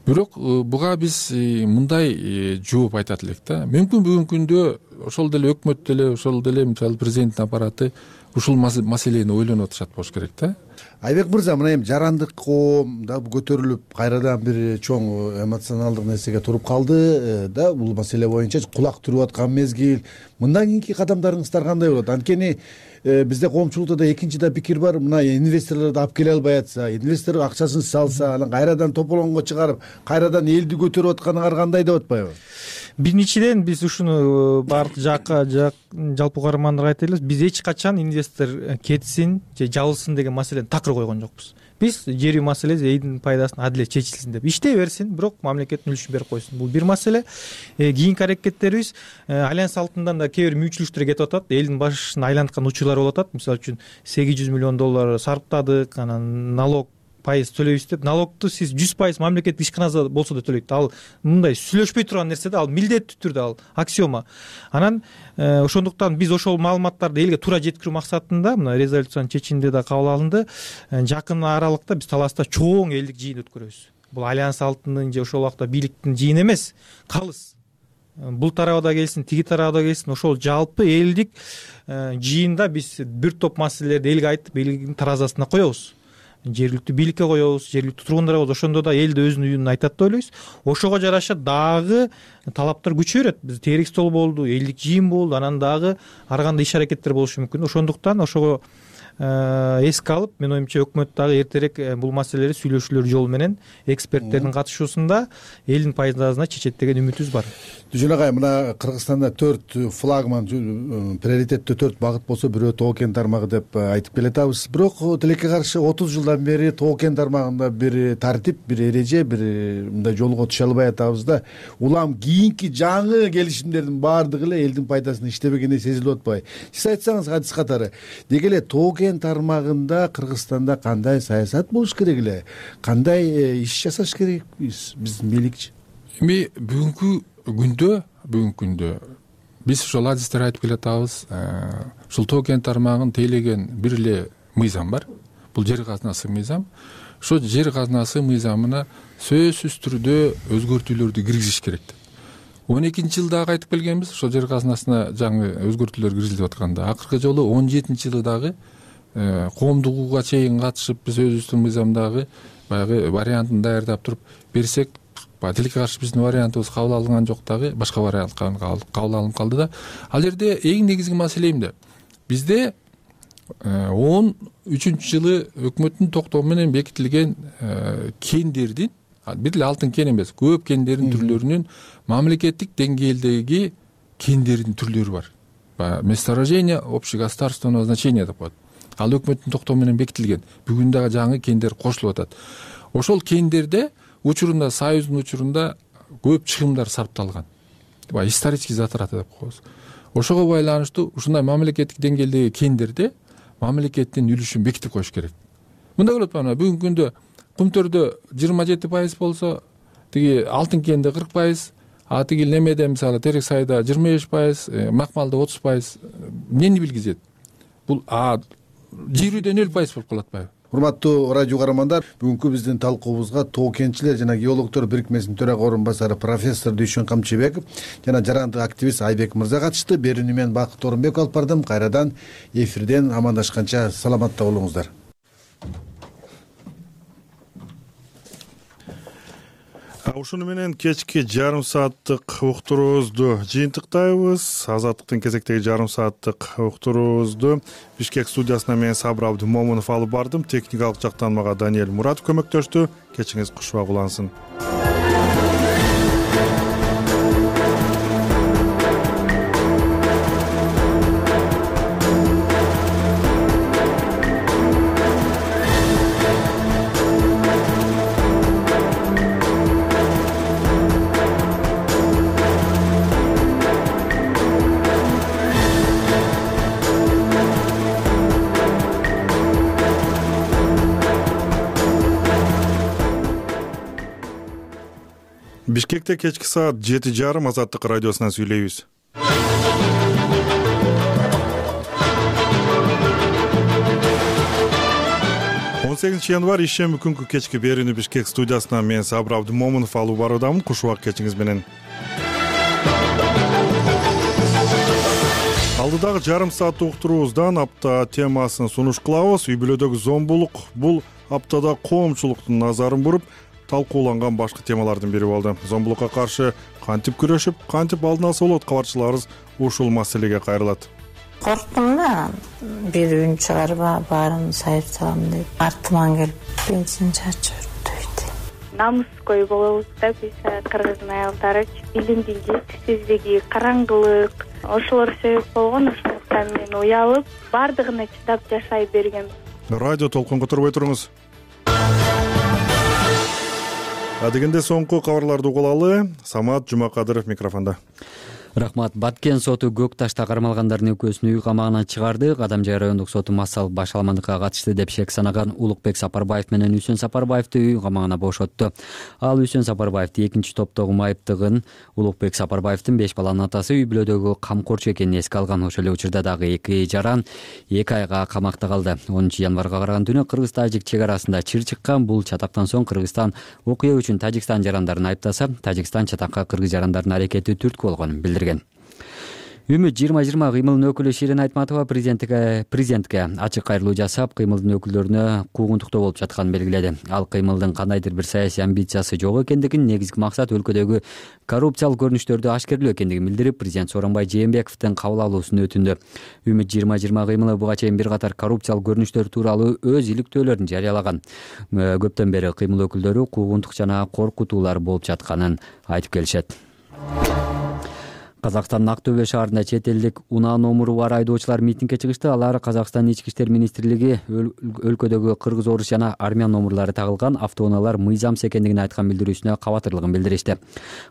Бирок буга биз мындай жооп айтат элек да. Мүмкүн бүгүнкү күндө ошол деле өкмөт деле, ошол деле мисалы президенттин аппараты ушул маселени ойлонуп атышат болуш керек да. Айбек мырза, мына эми жарандык коом да көтөрүлүп кайрадан бир чоң эмоционалдык нерсеге туруп калды да, бул маселе боюнча кулак түрүп аткан мезгил. Мындан кийинки кадамдарыңыздар кандай болот? Анткени бизде коомчулукта да экинчи да пикир бар. Мына инвесторлорду алып келе албай атса, инвестор акчасын салса, анан кайрадан тополоңго чыгарып, кайрадан элди көтөрүп атканыңар кандай деп атпайбы? Биринчиден биз ушуну баардык жакка жалпы каармандарга айта элебиз. Биз эч качан инвестор кетсин же жабылсын деген маселени такыр койгон жокпуз. Биз жер үй маселеси элдин пайдасына адилет чечилсин деп иштей берсин, бирок мамлекеттин үлүшүн берип койсун. Бул бир маселе. Кийинки аракеттерибиз альянс алтындан да кээ бир мүчүлүктөр кетип атат. Элдин башын айланткан учурлар болуп атат. Мисалы үчүн сегиз жүз миллион доллар сарптадык, анан налог пайыз төлөйбүз деп. Налогту сиз жүз пайыз мамлекеттик ишканаза болсо да төлөйт. Ал мындай сүйлөшпөй турган нерсе да, ал милдеттүү түрдө, ал аксиома. Анан ошондуктан биз ошол маалыматтарды элге туура жеткирүү максатында мына резолюциянын чечиминде да кабыл алынды. Жакын аралыкта биз Таласта чоң элдик жыйын өткөрөбүз. Бул альянс алтынын же ошол убакта бийликтин жыйыны эмес, калыс. Бул тарабы да келсин, тиги тарабы да келсин, ошол жалпы элдик жыйында биз бир топ маселелерди элге айтып, элдин таразасына коебуз. Жергиликтүү бийликке коебуз, жергиликтүү тургундарга коебуз. Ошондо да эл да өзүнүн үнүн айтат деп ойлойбуз. Ошого жараша дагы талаптар күчөй берет. Биз терик стол болду, элдик жыйын болду, анан дагы ар кандай иш аракеттер болушу мүмкүн. Ошондуктан ошого эске алып, мен оюмча өкмөт дагы эртерээк бул маселелерди сүйлөшүүлөр жолу менен эксперттердин катышуусунда элдин пайдасына чечет деген үмүтүбүз бар. Дүжөн агай, мына Кыргызстанда төрт флагман, приоритеттүү төрт багыт болсо, бирөө тоо кен тармагы деп айтып келатабыз. Бирок тилекке каршы отуз жылдан бери тоо кен тармагында бир тартип, бир эреже, бир мындай жолго түшө албай атабыз да. Улам кийинки жаңы келишимдердин баардыгы эле элдин пайдасына иштебегени сезилип атпайбы? Сиз айтсаңыз адис катары, деги эле тоо кен тармагында Кыргызстанда кандай саясат болуш керек эле? Кандай иш жасаш керек биздин бийликчи? Эми бүгүнкү күндө бүгүнкү күндө биз ошол адистер айтып келатабыз. Ушул тоо кен тармагын тейлеген бир эле мыйзам бар. Бул жер казнасы мыйзам. Ошо жер казнасы мыйзамына сөзсүз түрдө өзгөртүүлөрдү киргизиш керек. он экинчи жылдагы айтып келгенбиз, ошол жер казнасына жаңы өзгөртүүлөр киргизилип атканда, акыркы жолу он жетинчи жылы дагы коомдук укугга чейин катышып, биз өзүбүздүн мыйзамдагы баягы вариантын даярдап туруп берсек, тилекке каршы биздин вариантыбыз кабыл алынган жок, дагы башка вариант кабыл алынып калды да. Ал жерде эң негизги маселе эмне? Бизде он үчүнчү жылы өкмөттүн токтому менен бекитилген кендердин, бир эле алтын кен эмес, көп кендердин түрлөрүнүн мамлекеттик деңгээлдеги кендердин түрлөрү бар. Месторождение общегосударственного значения деп коет. Ал өкмөттүн токтому менен бекитилген. Бүгүн дагы жаңы кендер кошулуп атат. Ошол кендерде учурунда, Союздун учурунда көп чыгымдар сарпталган. Исторический затраты деп коебуз. Ошого байланыштуу ушундай мамлекеттик деңгээлдеги кендерде мамлекеттин үлүшүн бекитип коюш керек. Мындай болот бана, бүгүнкү күндө Кумтөрдө жыйырма жети пайыз болсо, тиги алтын кенде кырк пайыз, а тиги немеде мисалы Терек сайда жыйырма беш пайыз, Макмалда отуз пайыз. Эмнени билгизет? бул жер үйдө нөл пайыз болуп калат атпайбы? Урматтуу радио каармандар, бүгүнкү биздин талкуубузга Тоо кентчилер жана геологдор бирикмесинин төрага орун басары профессор Дүйшөн Камчыбеков жана жарандык активист Айбек мырза катышты. Берүүнү мен Бакыт Орунбеков алып бардым. Кайрадан эфирден амандашканча саламатта болуңуздар. Ушуну менен кечки жарым сааттык уктуруубузду жыйынтыктайбыз. Азаттыктын кезектеги жарым сааттык уктуруубузду Бишкек студиясына мен Сабыр Абдымомунов алып бардым. Техникалык жактан мага Даниэль Муратов көмөктөштү. Кечиңиз кушубак улансын. Бишкекте кечки саат жети жарым Азаттык радиосунан сүйлөйбүз. он сегизинчи январь ишемби күнкү кечки берүүнү Бишкек студиясынан мен Сабыр Абдымомунов алып баруудамын. Кушубак кечиңиз менен. Алдыдагы жарым саат уктуруубуздан апта темасын сунуш кылабыз. Үй бүлөдөгү зомбулук бул аптада коомчулуктун назарын буруп талкууланган башкы темалардын бири болду. Зомбулукка каршы кантип күрөшүп, кантип алдын алса болот? Кабарчыларыбыз ушул маселеге кайрылат. Корктум да, бир үн чыгарып баарын сайып салам деп. Артыман келип бензин чачып жүрдү. Намыскөй болобуз да биз кыргыздын аялдары. Илимдин жетишсиздиги, караңгылык, ошолор себеп болгон. Ошондуктан мен уялып, бардыгына чыдап жашай бергем. Радио толкунга турбой туруңуз. Адегенде соңку кабарларды угулалы. Самат Жумакадыров микрофондо. Рахмат. Баткен соту Көк Ташта кармалгандардын экөөсүн үй камагынан чыгарды. Кадамжай райондук соту массалык башаламандыкка катышты деп шек санаган Улукбек Сапарбаев менен Үсөн Сапарбаевди үй камагына бошотту. Ал Үсөн Сапарбаевди экинчи топтогу майыптыгын Улукбек Сапарбаевдин беш баланын атасы үй бүлөдөгү камкорчу экенин эске алган. Ошол эле учурда дагы эки жаран эки айга камакта калды. онунчу январга караган түнү Кыргыз-Тажик чек арасында чыр чыккан. Бул чатактан соң Кыргызстан окуя үчүн Тажикстан жарандарын айыптаса, Тажикстан чатакка кыргыз жарандардын аракети түрткү болгонун билдирген. Үмүт жыйырма жыйырма кыймылдын өкүлү Ширин Айтматова президентке президентке ачык кайрылуу жасап, кыймылдын өкүлдөрүнө куугунтуктоо болуп жатканын белгиледи. Ал кыймылдын кандайдыр бир саясий амбициясы жок экендигин, негизги максат өлкөдөгү коррупциялык көрүнүштөрдү ашкерлөө экендигин билдирип, президент Сооронбай Жээнбековдун кабыл алуусун өтүндү. Үмүт жыйырма жыйырма кыймылы буга чейин бир катар коррупциялык көрүнүштөр тууралуу өз иликтөөлөрүн жарыялаган. Көптөн бери кыймыл өкүлдөрү куугунтук жана коркутуулар болуп жатканын айтып келишет. Казакстандын Ак Төбө шаарында чет элдик унаа номуру бар айдоочулар митингге чыгышты. Алар Казакстан ички иштер министрлиги өлкөдөгү кыргыз, орус жана армян номурлары тагылган автоунаалар мыйзамсыз экендигин айткан билдирүүсүнө кабатырлыгын билдиришти.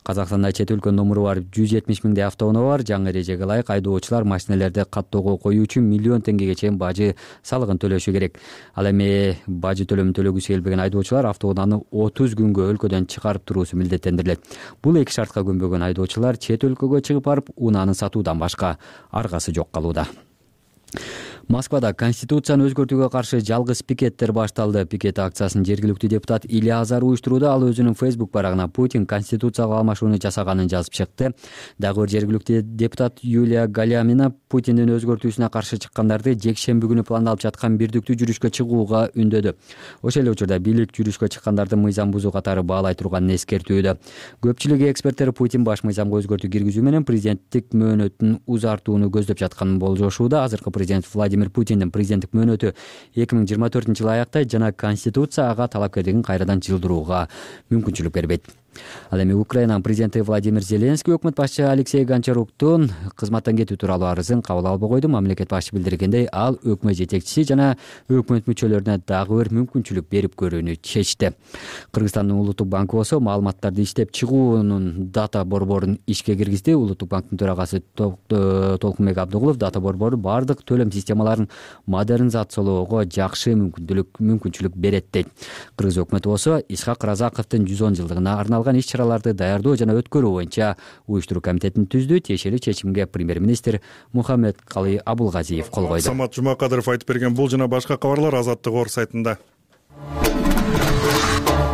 Казакстанда чет өлкөнүн номуру бар жүз жетимиш миңдей автоунаа бар. Жаңы эрежеге ылайык айдоочулар машинелерди каттоого коюу үчүн миллион теңгеге чейин бажы салыгын төлөшү керек. Ал эми бажы төлөмүн төлөгүсү келбеген айдоочулар автоунааны отуз күнгө өлкөдөн чыгарып туруусу милдеттендирилет. Бул эки шартка көнбөгөн айдоочулар чет өлкөгө чыгып барып унааны сатуудан башка аргасы жок калууда. Москвада Конституцияны өзгөртүүгө каршы жалгыз пикеттер башталды. Пикет акциясын жергиликтүү депутат Илья Азар уюштурууда. Ал өзүнүн Facebook барагына Путин конституцияга алмашууну жасаганын жазып чыкты. Дагы бир жергиликтүү депутат Юлия Галямина Путиндин өзгөртүүсүнө каршы чыккандарды жекшемби күнү пландалып жаткан бирдиктүү жүрүшкө чыгууга үндөдү. Ошол эле учурда бийлик жүрүшкө чыккандарды мыйзам бузуу катары баалай турганын эскертүүдө. Көпчүлүк эксперттер Путин баш мыйзамга өзгөртүү киргизүү менен президенттик мөөнөтүн узартууну көздөп жатканын болжошууда. Азыркы президент Владимир Путиндин президенттик мөөнөтү эки миң жыйырма төртүнчү жылы аяктай жана Конституция ага талапкерлигин кайрадан жылдырууга мүмкүнчүлүк бербейт. Ал эми Украинанын президенти Владимир Зеленский өкмөт башчы Алексей Гончаруктун кызматтан кетүү тууралуу арызын кабыл албай койду. Мамлекет башчы билдиргендей, ал өкмөт жетекчиси жана өкмөт мүчөлөрүнө дагы бир мүмкүнчүлүк берип көрүүнү чечти. Кыргызстандын Улуттук банкы болсо маалыматтарды иштеп чыгуунун дата борборун ишке киргизди. Улуттук банктын төрагасы Толкунбек Абдыгулов дата борбору бардык төлөм системаларын модернизациялоого жакшы мүмкүнчүлүк мүмкүнчүлүк берет дейт. Кыргыз өкмөтү болсо Исхак Разаковдун жүз он жылдыгына арналган арналган иш чараларды даярдоо жана өткөрүү боюнча уюштуруу комитетин түздү. Тиешелүү чечимге премьер-министр Мухаммедкалый Абулгазиев кол койду. Самат Жумакадыров айтып берген бул жана башка кабарлар Азаттык ор сайтында.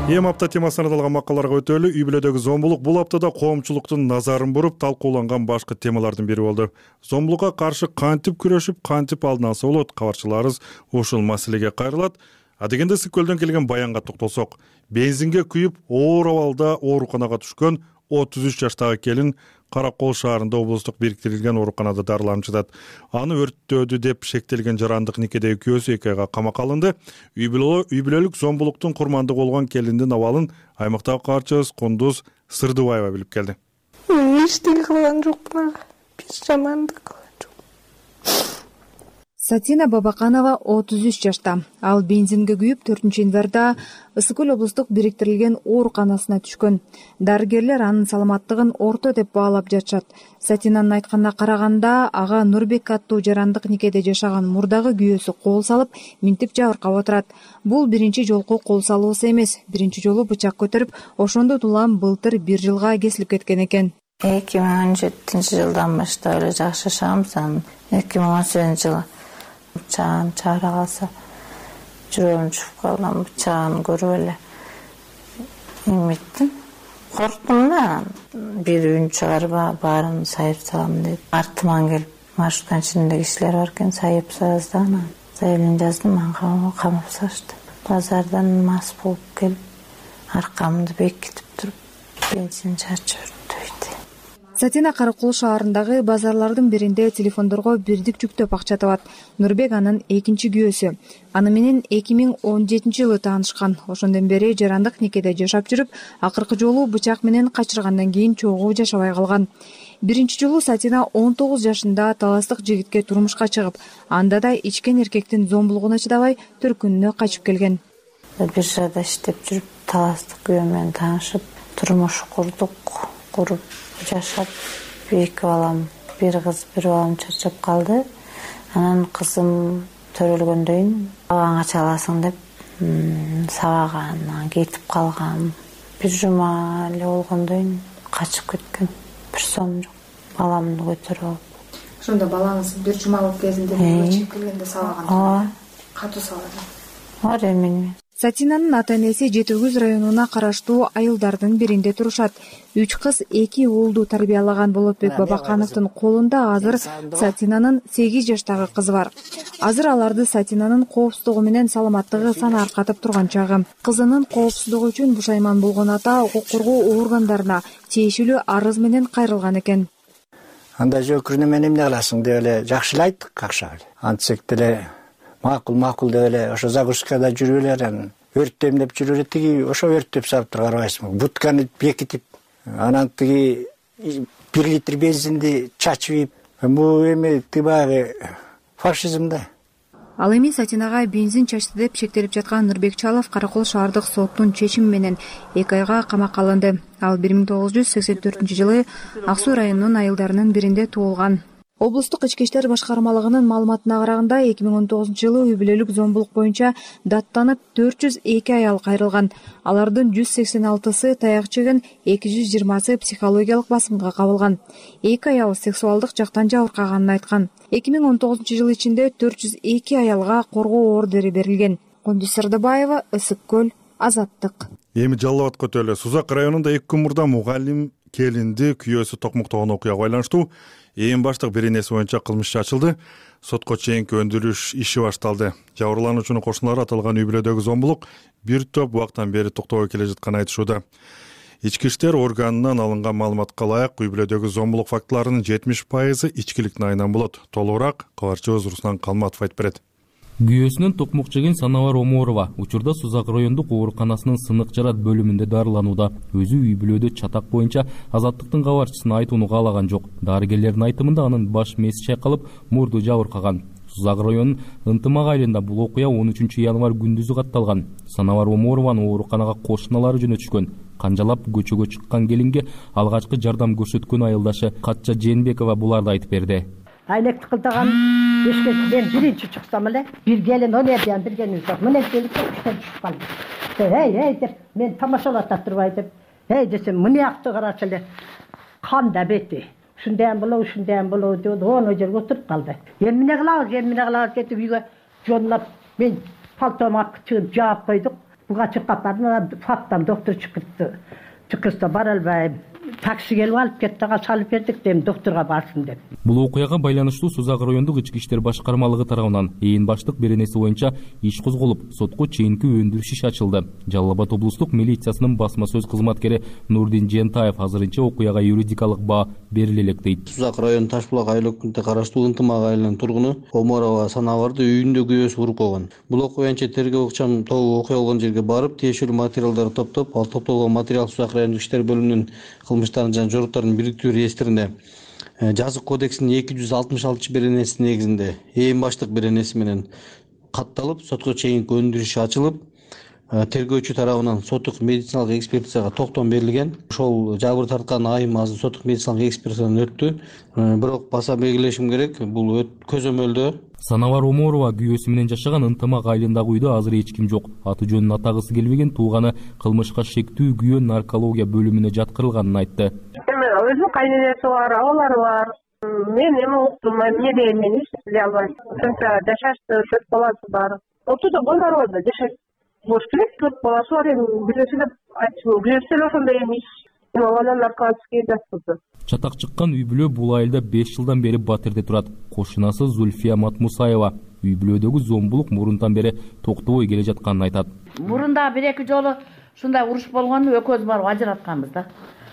Эми апта темасына арналган макалаларга өтөлү. Үй бүлөдөгү зомбулук бул аптада коомчулуктун назарын буруп талкууланган башкы темалардын бири болду. Зомбулукка каршы кантип күрөшүп, кантип алдын алса болот? Кабарчыларыбыз ушул маселеге кайрылат. Адегенде Ысык көлдөн келген баянга токтолсок, бензинге күйүп оор абалда ооруканага түшкөн отуз үч жаштагы келин Каракол шаарында облустук бириктирилген ооруканада дарыланып жатат. Аны өрттөөдү деп шектелген жарандык никедеги күйөөсү эки айга камакка алынды. Үй бүлөлүк зомбулуктун курмандыгы болгон келиндин абалын аймактагы кабарчыбыз Кундуз Сырдыбаева билип келди. Эчтеке кылган жокмун ага. Бир жамандык кылган жок. Сатина Бабаканова отуз үч жашта. Ал бензинге күйүп төртүнчү январда Ысык көл облустук бириктирилген ооруканасына түшкөн. Дарыгерлер анын саламаттыгын орто деп баалап жатышат. Сатинанын айтканына караганда, ага Нурбек аттуу жарандык никеде жашаган мурдагы күйөөсү кол салып, минтип жабыркап отурат. Бул биринчи жолку кол салуусу эмес. Биринчи жолу бычак көтөрүп, ошондо улам былтыр бир жылга кесилип кеткен экен. эки миң он жетинчи жылдан баштап эле жашашабыз. Анан эки миң он сегизинчи жылы бычагын чыгара калса жүрөгүм чугуп калган. Бычагын көрүп эле эметтим, корктум да. Бир үн чыгарып баарын сайып салам деп. Артыман келип маршрутканын ичинде кишилер бар экен, сайып салабыз да. Анан заявление жаздым, анан камап салышты. Базардан мас болуп келип аркамды бекитип туруп бензин чачып жүрдү. Сатина Каракол шаарындагы базарлардын биринде телефондорго бирдик жүктөп акча табат. Нурбек анын экинчи күйөөсү. Аны менен эки миң он жетинчи жылы таанышкан. Ошондон бери жарандык никеде жашап жүрүп, акыркы жолу бычак менен качыргандан кийин чогуу жашабай калган. Биринчи жолу Сатина он тогуз жашында таластык жигитке турмушка чыгып, анда да ичкен эркектин зомбулугуна чыдабай төркүнүнө качып келген. Биржада иштеп жүрүп, таластык күйөө менен таанышып, турмуш курдук. Куруп жашап, эки балам, бир кыз, бир балам чачап калды. Анан кызым төрөлгөндөн кийин балаңа чаласың деп сабаган, анан кетип калган. Бир жума эле болгондон кийин качып кеткен. Бир сом жок. Баламды көтөрүп алып. Ошондо балаңыз бир жума болуп кезинде чыгып келгенде сабаган. Ооба. Катуу сабаган. Ооба, эмне. Сатинанын ата-энеси Жети Күз районуна караштуу айылдардын биринде турушат. Үч кыз, эки уулду тарбиялаган Болотбек Бабакановдун колунда азыр Сатинанын сегиз жаштагы кызы бар. Азыр аларды Сатинанын коопсуздугу менен саламаттыгы санааркатып турган чагы. Кызынын коопсуздугу үчүн бушайман болгон ата укук коргоо органдарына тиешелүү арыз менен кайрылган экен. Анда жөкүрүнө мен эмне кыласың деп эле жакшылайт, какшап эле. Антсек деле макул макул деп эле ошо загрузкада жүрүп эле, анан өрттөйм деп жүрүп эле, тиги ошо өрттөп салып туруп карабайсыңбы. Бутканы бекитип, анан тиги бир литр бензинди чачып ийип, бул эми тибагы фашизм да. Ал эми Сатинага бензин чачты деп шектелип жаткан Нурбек Чалов Каракол шаардык соттун чечими менен эки айга камакка алынды. Ал бир миң тогуз жүз сексен төртүнчү жылы Ак Суу районунун айылдарынын биринде туулган. Облустук ички иштер башкармалыгынын маалыматына караганда, эки миң он тогузунчу жылы үй бүлөлүк зомбулук боюнча даттанып төрт жүз эки аял кайрылган. Алардын жүз сексен алтысы таяк жеген, эки жүз жыйырмасы психологиялык басымга кабылган. эки аял сексуалдык жактан жабыркаганын айткан. эки миң он тогузунчу жыл ичинде төрт жүз эки аялга коргоо ордери берилген. Кундуз Сырдыбаева, Ысык көл, Азаттык. Эми Жалал Абад көтөлө. Сузак районунда эки күн мурда мугалим келинди күйөөсү токмуктогон окуяга байланыштуу эң баштык беренеси боюнча кылмыш ачылды. Сотко чейинки өндүрүш иши башталды. Жабырлануучунун кошуналары аталган үй бүлөдөгү зомбулук бир топ убактан бери токтобой келе жатканын айтышууда. Ички иштер органынан алынган маалыматка ылайык, үй бүлөдөгү зомбулук фактыларынын жетимиш пайызы ичкиликтин айынан болот. Толугураак кабарчыбыз Руслан Калматов айтып берет. Күйөөсүнүн токмук жеген Санавар Оморова учурда Сузак райондук ооруканасынын сынык жарат бөлүмүндө дарыланууда. Өзү үй бүлөдө чатак боюнча Азаттыктын кабарчысына айтууну каалаган жок. Дарыгерлердин айтымында анын баш мээси чайкалып, мурду жабыркаган. Сузак районунун Ынтымак айылында бул окуя он үчүнчү январь күндүзү катталган. Санавар Оморованын ооруканага кошуналары жөнөтүшкөн. Канжалап көчөгө чыккан келинге алгачкы жардам көрсөткөн айылдашы Катча Жээнбекова буларды айтып берди. Айнекти кылдаган эшке мен биринчи чыксам эле бир келин он эрден бир келин жок. Мына келип иштен түшүп калды. Эй, эй деп мен тамашалап атып турбай деп эй десем мынякты карачы эле канда бети ушундайм болобу ушундайм болобу деп оно жерге отуруп калды. Эми эмне кылабыз эми эмне кылабыз кетип үйгө жонлоп мен пальтома чыгып жаап койдук. Буга чыккап бардым, фаптан доктор чыкыртты. Чыкырса бара албайм. Такси келип алып кетти, ага салып бердик дейм доктурга барсын деп. Бул окуяга байланыштуу Сузак райондук ички иштер башкармалыгы тарабынан ээн баштык беренеси боюнча иш козголуп, сотко чейинки өндүрүш иши ачылды. Жалал Абад облустук милициясынын басма сөз кызматкери Нурдин Жентаев азырынча окуяга юридикалык баа бериле элек дейт. Сузак району Ташбулак айыл өкмөтүнө караштуу Ынтымак айылынын тургуну Омарова Санаварды үйүндө күйөөсү уруп койгон. Бул окуя боюнча тергөө ыкчам тобу окуя болгон жерге барып, тиешелүү материалдарды топтоп, ал топтолгон материал Сузак райондук иштер бөлүмүнүн кылмыштардын жана жоруктардын бириктирүү реестрине жазык кодексинин эки жүз алтымыш алтынчы беренеси негизинде ээн баштык беренеси менен катталып, сотко чейинки өндүрүш ачылып, тергөөчү тарабынан соттук медициналык экспертизага токтом берилген. Ошол жабыр тарткан айым азыр соттук медициналык экспертизадан өттү. Бирок баса белгилешим керек, бул көзөмөлдө. Санавар Оморова күйөөсү менен жашаган Ынтымак айылындагы үйдө азыр эч ким жок. Аты жөнүн атагысы келбеген тууганы кылмышка шектүү күйөө наркология бөлүмүнө жаткырылганын айтты. Эми өзүнүн кайненеси бар, агалары бар. Мен эми уктум, эмне дейм, мен эч биле албайм. Ошончо жашашты, төрт баласы бар. Ортодо Бондарбада жашайт. Болуш керек, төрт баласы бар, эми бирөөсү деп айтчу, бирөөсү эле ошондой эмес. Анан наркотикке жаткызды. Чатак чыккан үй бүлө бул айылда беш жылдан бери батирде турат. Кошунасы Зульфия Матмусаева үй бүлөдөгү зомбулук мурунтан бери токтобой келе жатканын айтат. Мурунда бир эки жолу ушундай уруш болгон, экөөбүз барып ажыратканбыз да.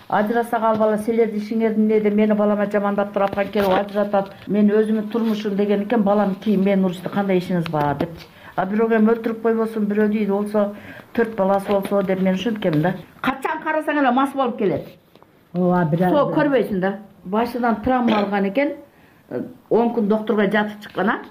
Ажырасак ал бала силердин ишиңердин неде мени балама жамандап турат, келип ажыратат. Мен өзүмдүн турмушум деген экен, балам кийин мен урушты, кандай ишиңиз бар депчи. А бирөөгө эми өлтүрүп койбосун, бирөө үйдө болсо, төрт баласы болсо деп мен ушинткем да. Качан карасаң эле мас болуп келет. Ооба, бир Со көрбөйсүң да. Башынан травма алган экен. он күн доктурга жатып чыккан а.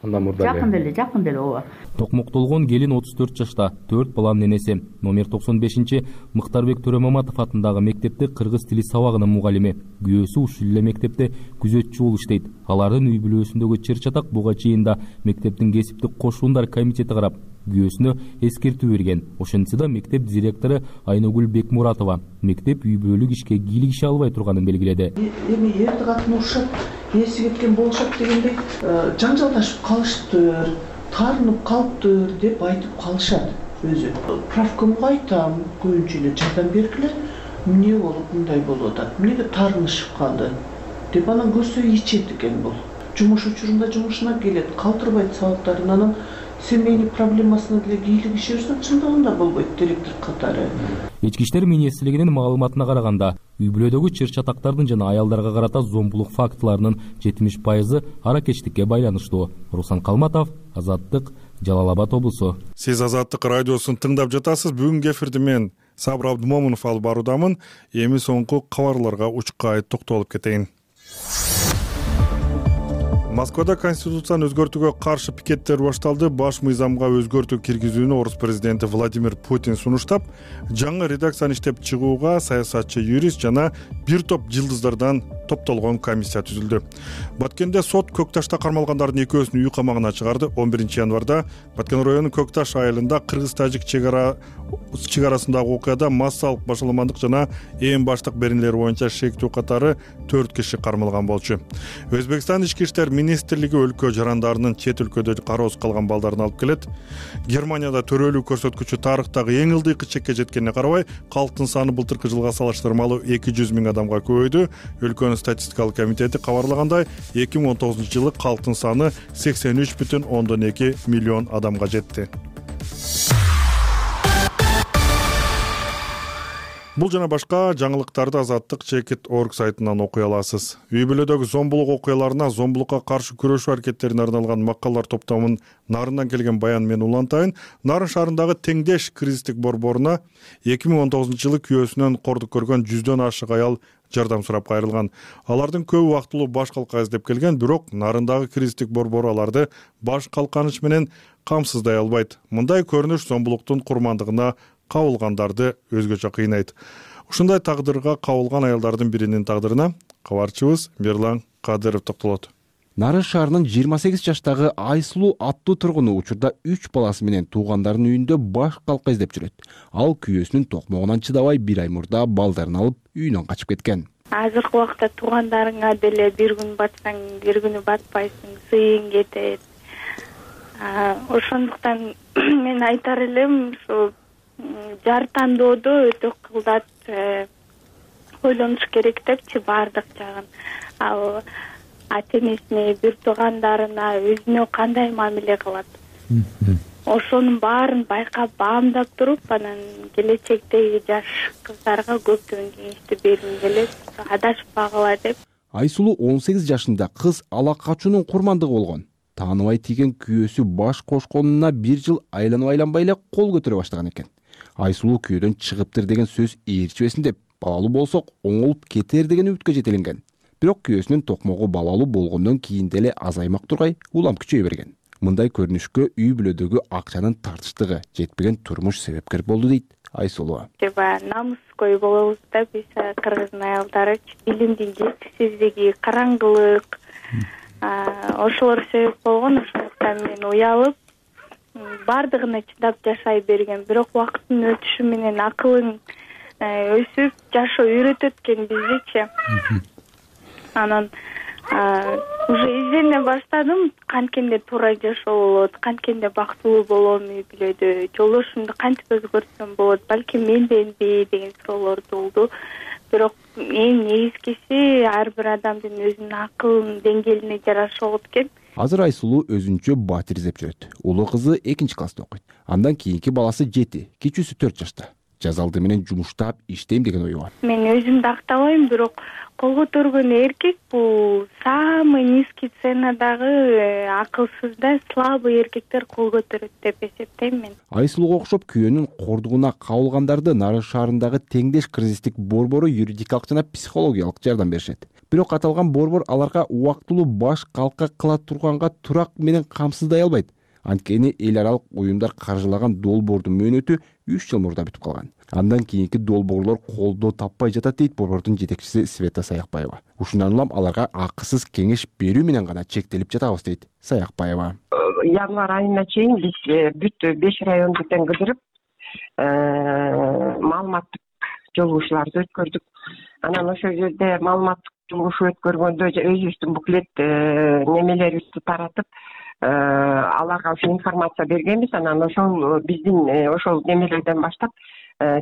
Андан мурда жакын эле, жакын эле ооба. Токмоктолгон келин отуз төрт жашта, төрт баланын энеси. Номер токсон бешинчи Мыктарбек Төрөмаматов атындагы мектепте кыргыз тили сабагынын мугалими. Күйөөсү ушул эле мектепте күзөтчү болуп иштейт. Алардын үй бүлөсүндөгү чыр чатак буга чейин да мектептин кесиптик кошуундар комитети карап, күйөөсүнө эскертүү берген. Ошентсе да мектеп директору Айногүл Бекмуратова мектеп үй бүлөлүк ишке кийлигише албай турганын белгиледи. Эми эрди катын урушат, эси кеткен болушат дегендей жаңжалдашып калыштыр, таарынып калыптыр деп айтып калышат өзү. Правкомго айтам, көбүнчө эле жардам бергиле, эмне болуп мындай болуп атат, эмнеге таарынышып калды деп анан көрсө ичет экен бул. Жумуш учурунда жумушуна келет, калтырбайт сабактарын, анан семейный проблемасына деле кийлигише берсе чындыгында болбойт директор катары. Ички иштер министрлигинин маалыматына караганда, үй бүлөдөгү чыр чатактардын жана аялдарга карата зомбулук фактыларынын жетимиш пайызы аракечтикке байланыштуу. Руслан Калматов, Азаттык, Жалал Абад облусу. Сиз Азаттык радиосун тыңдап жатасыз. Бүгүнкү эфирди мен Сабыр Абдымомунов алып баруудамын. Эми соңку кабарларга учкай токтолуп кетейин. Москвада конституцияны өзгөртүүгө каршы пикеттер башталды. Баш мыйзамга өзгөртүү киргизүүнү орус президенти Владимир Путин сунуштап, жаңы редакцияны иштеп чыгууга саясатчы, юрист жана бир топ жылдыздардан топтолгон комиссия түзүлдү. Баткенде сот Көкташта кармалгандардын экөөсүн үй камагына чыгарды. он биринчи январда Баткен районунун Көкташ айылында кыргыз-тажик чегара чегарасындагы окуяда массалык башаламандык жана ээн баштык беренелери боюнча шектүү катары төрт киши кармалган болчу. Өзбекстан ички иштер министрлиги өлкө жарандарынын чет өлкөдө кароосуз калган балдарын алып келет. Германияда төрөлүү көрсөткүчү тарыхтагы эң ылдыйкы чекке жеткенине карабай, калктын саны былтыркы жылга салыштырмалуу эки жүз миң адамга көбөйдү. Өлкөнүн статистикалык комитети кабарлагандай, эки миң он тогузунчу жылы калктын саны сексен үч бүтүн ондон эки миллион адамга жетти. Бул жана башка жаңылыктарды Азаттык чекит точка орг сайтынан окуй аласыз. Үй бүлөдөгү зомбулук окуяларына, зомбулукка каршы күрөшүү аракеттерине арналган макалалар топтомунун нарынан келген баян мен улантайын. Нарын шаарындагы Теңдеш кризистик борборуна эки миң он тогузунчу жылы күйөөсүнөн кордук көргөн жүздөн ашык аял жардам сурап кайрылган. Алардын көбү убактылуу баш калка издеп келген, бирок нарындагы кризистик борбору аларды баш калканыч менен камсыздай албайт. Мындай көрүнүш зомбулуктун курмандыгына кабылгандарды өзгөчө кыйнайт. Ушундай тагдырга кабылган аялдардын биринин тагдырына кабарчыбыз Мирлан Кадыров токтолот. Нарын шаарынын жыйырма сегиз жаштагы Айсулуу аттуу тургуну учурда үч баласы менен туугандарынын үйүндө баш калка издеп жүрөт. Ал күйөөсүнүн токмогунан чыдабай бир ай мурда балдарын алып үйүнөн качып кеткен. Азыркы убакта туугандарыңа деле бир күн батсаң, бир күнү батпайсың, сыйың кетет. Ошондуктан мен айтар элем, ушу жар тандоодо өтө кылдат ойлонуш керек депчи баардык жагын. Ал ата энесине, бир туугандарына, өзүнө кандай мамиле кылат. Ошонун баарын байкап, баамдап туруп, анан келечектеги жаш кыздарга көптөгөн кеңешти бергим келет, адашпагыла деп. Айсулуу он сегиз жашында кыз ала качуунун курмандыгы болгон. Тааныбай тийген күйөөсү баш кошконуна бир жыл айланып айланбай эле кол көтөрө баштаган экен. Айсулуу күйөөдөн чыгыптыр деген сөз ээрчибесин деп, балалуу болсок оңолуп кетер деген үмүткө жетеленген. Бирок күйөөсүнүн токмогу балалуу болгондон кийин деле азаймак тургай улам күчөйө берген. Мындай көрүнүшкө үй бүлөдөгү акчанын тартыштыгы, жетпеген турмуш себепкер болду дейт Айсулуу. Баягы намыскөй болобуз да биз кыргыздын аялдары, билимдин жетишсиздиги, караңгылык, ошолор себеп болгон. Ошондуктан мен уялып, баардыгына чыдап жашай берген. Бирок убакыттын өтүшү менен акылың өсүп, жашоо үйрөтөт экен биздичи. Анан уже издене баштадым, канткенде туура жашоо болот, канткенде бактылуу болом үй бүлөдө, жолдошумду кантип өзгөртсөм болот, балким менденби деген суроолор туулду. Бирок эң негизгиси ар бир адамдын өзүнүн акылынын деңгээлине жараша болот экен. Азыр Айсулуу өзүнчө батир издеп жүрөт. Улуу кызы экинчи класста окуйт. Андан кийинки баласы жети, кичүүсү төрт жашта. Жаз алды менен жумуштап иштейм деген ою бар. Мен өзүмдү актабайм, бирок кол көтөргөн эркек бул самый низкий ценадагы акылсыз да, слабый эркектер кол көтөрөт деп эсептейм мен. Айсулууга окшоп күйөөнүн кордугуна кабылгандарды Нарын шаарындагы Теңдеш кризистик борбору юридикалык жана психологиялык жардам беришет. Бирок аталган борбор аларга убактылуу баш калка кыла турганга турак менен камсыздай албайт. Анткени эл аралык уюмдар каржылаган долбоордун мөөнөтү үч жыл мурда бүтүп калган. Андан кийинки долбоорлор колдоо таппай жатат дейт борбордун жетекчиси Света Саякбаева. Ушундан улам аларга акысыз кеңеш берүү менен гана чектелип жатабыз дейт Саякбаева. Январь айына чейин биз бүт беш районду тең кыдырып, маалыматтык жолугушууларды өткөрдүк. Анан ошол жерде маалыматтык жолугушуу өткөргөндө өзүбүздүн буклет немелерибизди таратып, аларга ошо информация бергенбиз. Анан ошол биздин ошол немелерден баштап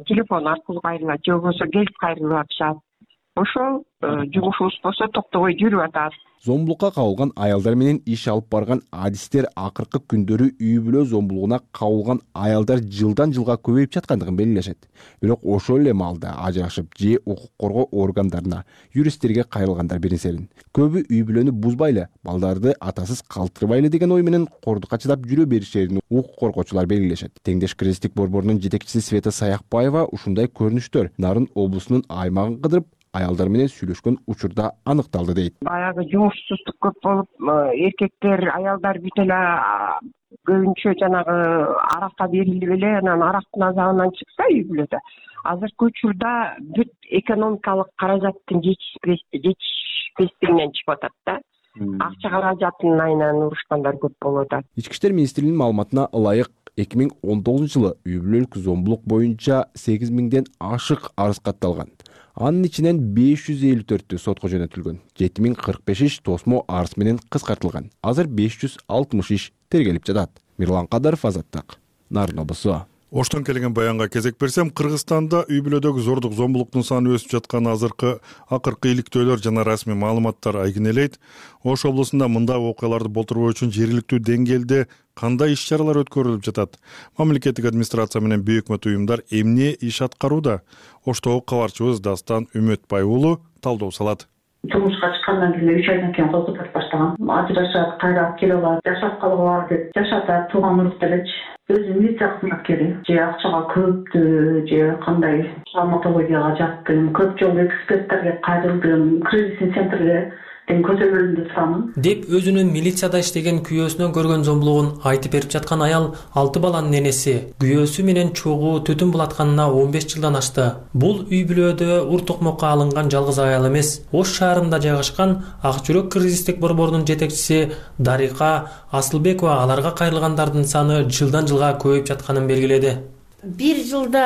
телефон аркылуу кайрылат, же болбосо келип кайрылып атышат. Ошол жумушубуз болсо токтобой жүрүп атат. Зомбулукка кабылган аялдар менен иш алып барган адистер акыркы күндөрү үй бүлө зомбулугуна кабылган аялдар жылдан жылга көбөйүп жаткандыгын белгилешет. Бирок ошол эле маалда ажырашып же укук коргоо органдарына, юристтерге кайрылгандар беренсерин. Көбү үй бүлөнү бузбай эле, балдарды атасыз калтырбайлы деген ой менен кордукка чыдап жүрө беришерин укук коргоочулар белгилешет. Теңдеш кризистик борборунун жетекчиси Света Саякбаева ушундай көрүнүштөр Нарын облусунун аймагын кыдырып аялдар менен сүйлөшкөн учурда аныкталды дейт. Баягы жумушсуздук көп болуп, эркектер, аялдар бүт эле көбүнчө жанагы аракка берилип эле, анан арактын азабынан чыкса үй бүлөдө. Азыркы учурда бүт экономикалык каражаттын жетишпестигинен чыгып атат да. Акча каражатынын айынан урушкандар көп болуп атат. Ички иштер министрлигинин маалыматына ылайык эки миң он тогузунчу жылы үй бүлөлүк зомбулук боюнча сегиз миңден ашык арыз катталган. Анын ичинен беш жүз элүү төртү сотко жөнөтүлгөн. жети миң кырк беш иш тосмо арыз менен кыскартылган. Азыр беш жүз алтымыш иш тергелип жатат. Мирлан Кадаров, Азаттык, Нарын облусу. Оштон келген баянга кезек берсем, Кыргызстанда үй бүлөдөгү зордук, зомбулуктун саны өсүп жатканы азыркы акыркы иликтөөлөр жана расмий маалыматтар айгинелейт. Ош облусунда мындай окуяларды болтурбоо үчүн жергиликтүү деңгээлде кандай иш-чаралар өткөрүлүп жатат? Мамлекеттик администрация менен бейөкмөт уюмдар эмне иш аткарууда? Оштогу кабарчыбыз Дастан Үмөтбай уулу талдоо салат. Жумушка чыккандан кийин үч айдан кийин кол көтөрүп баштаган. Ажырашат, кайра алып келип алат, жашап калгыла деп жашатат, тууган урук делечи. Өзү милиция кызматкери, же акчага көптү, же кандай травматологияга жаттым, көп жолу эксперттерге кайрылдым, кризисный центрге көзөмөлүндө турамын деп өзүнүн милицияда иштеген күйөөсүнөн көргөн зомбулугун айтып берип жаткан аял алты баланын энеси. Күйөөсү менен чогуу түтүн булатканына он беш жылдан ашты. Бул үй бүлөдө ур токмокко алынган жалгыз аял эмес. Ош шаарында жайгашкан Ак жүрөк кризистик борборунун жетекчиси Дарика Асылбекова аларга кайрылгандардын саны жылдан жылга көбөйүп жатканын белгиледи. Бир жылда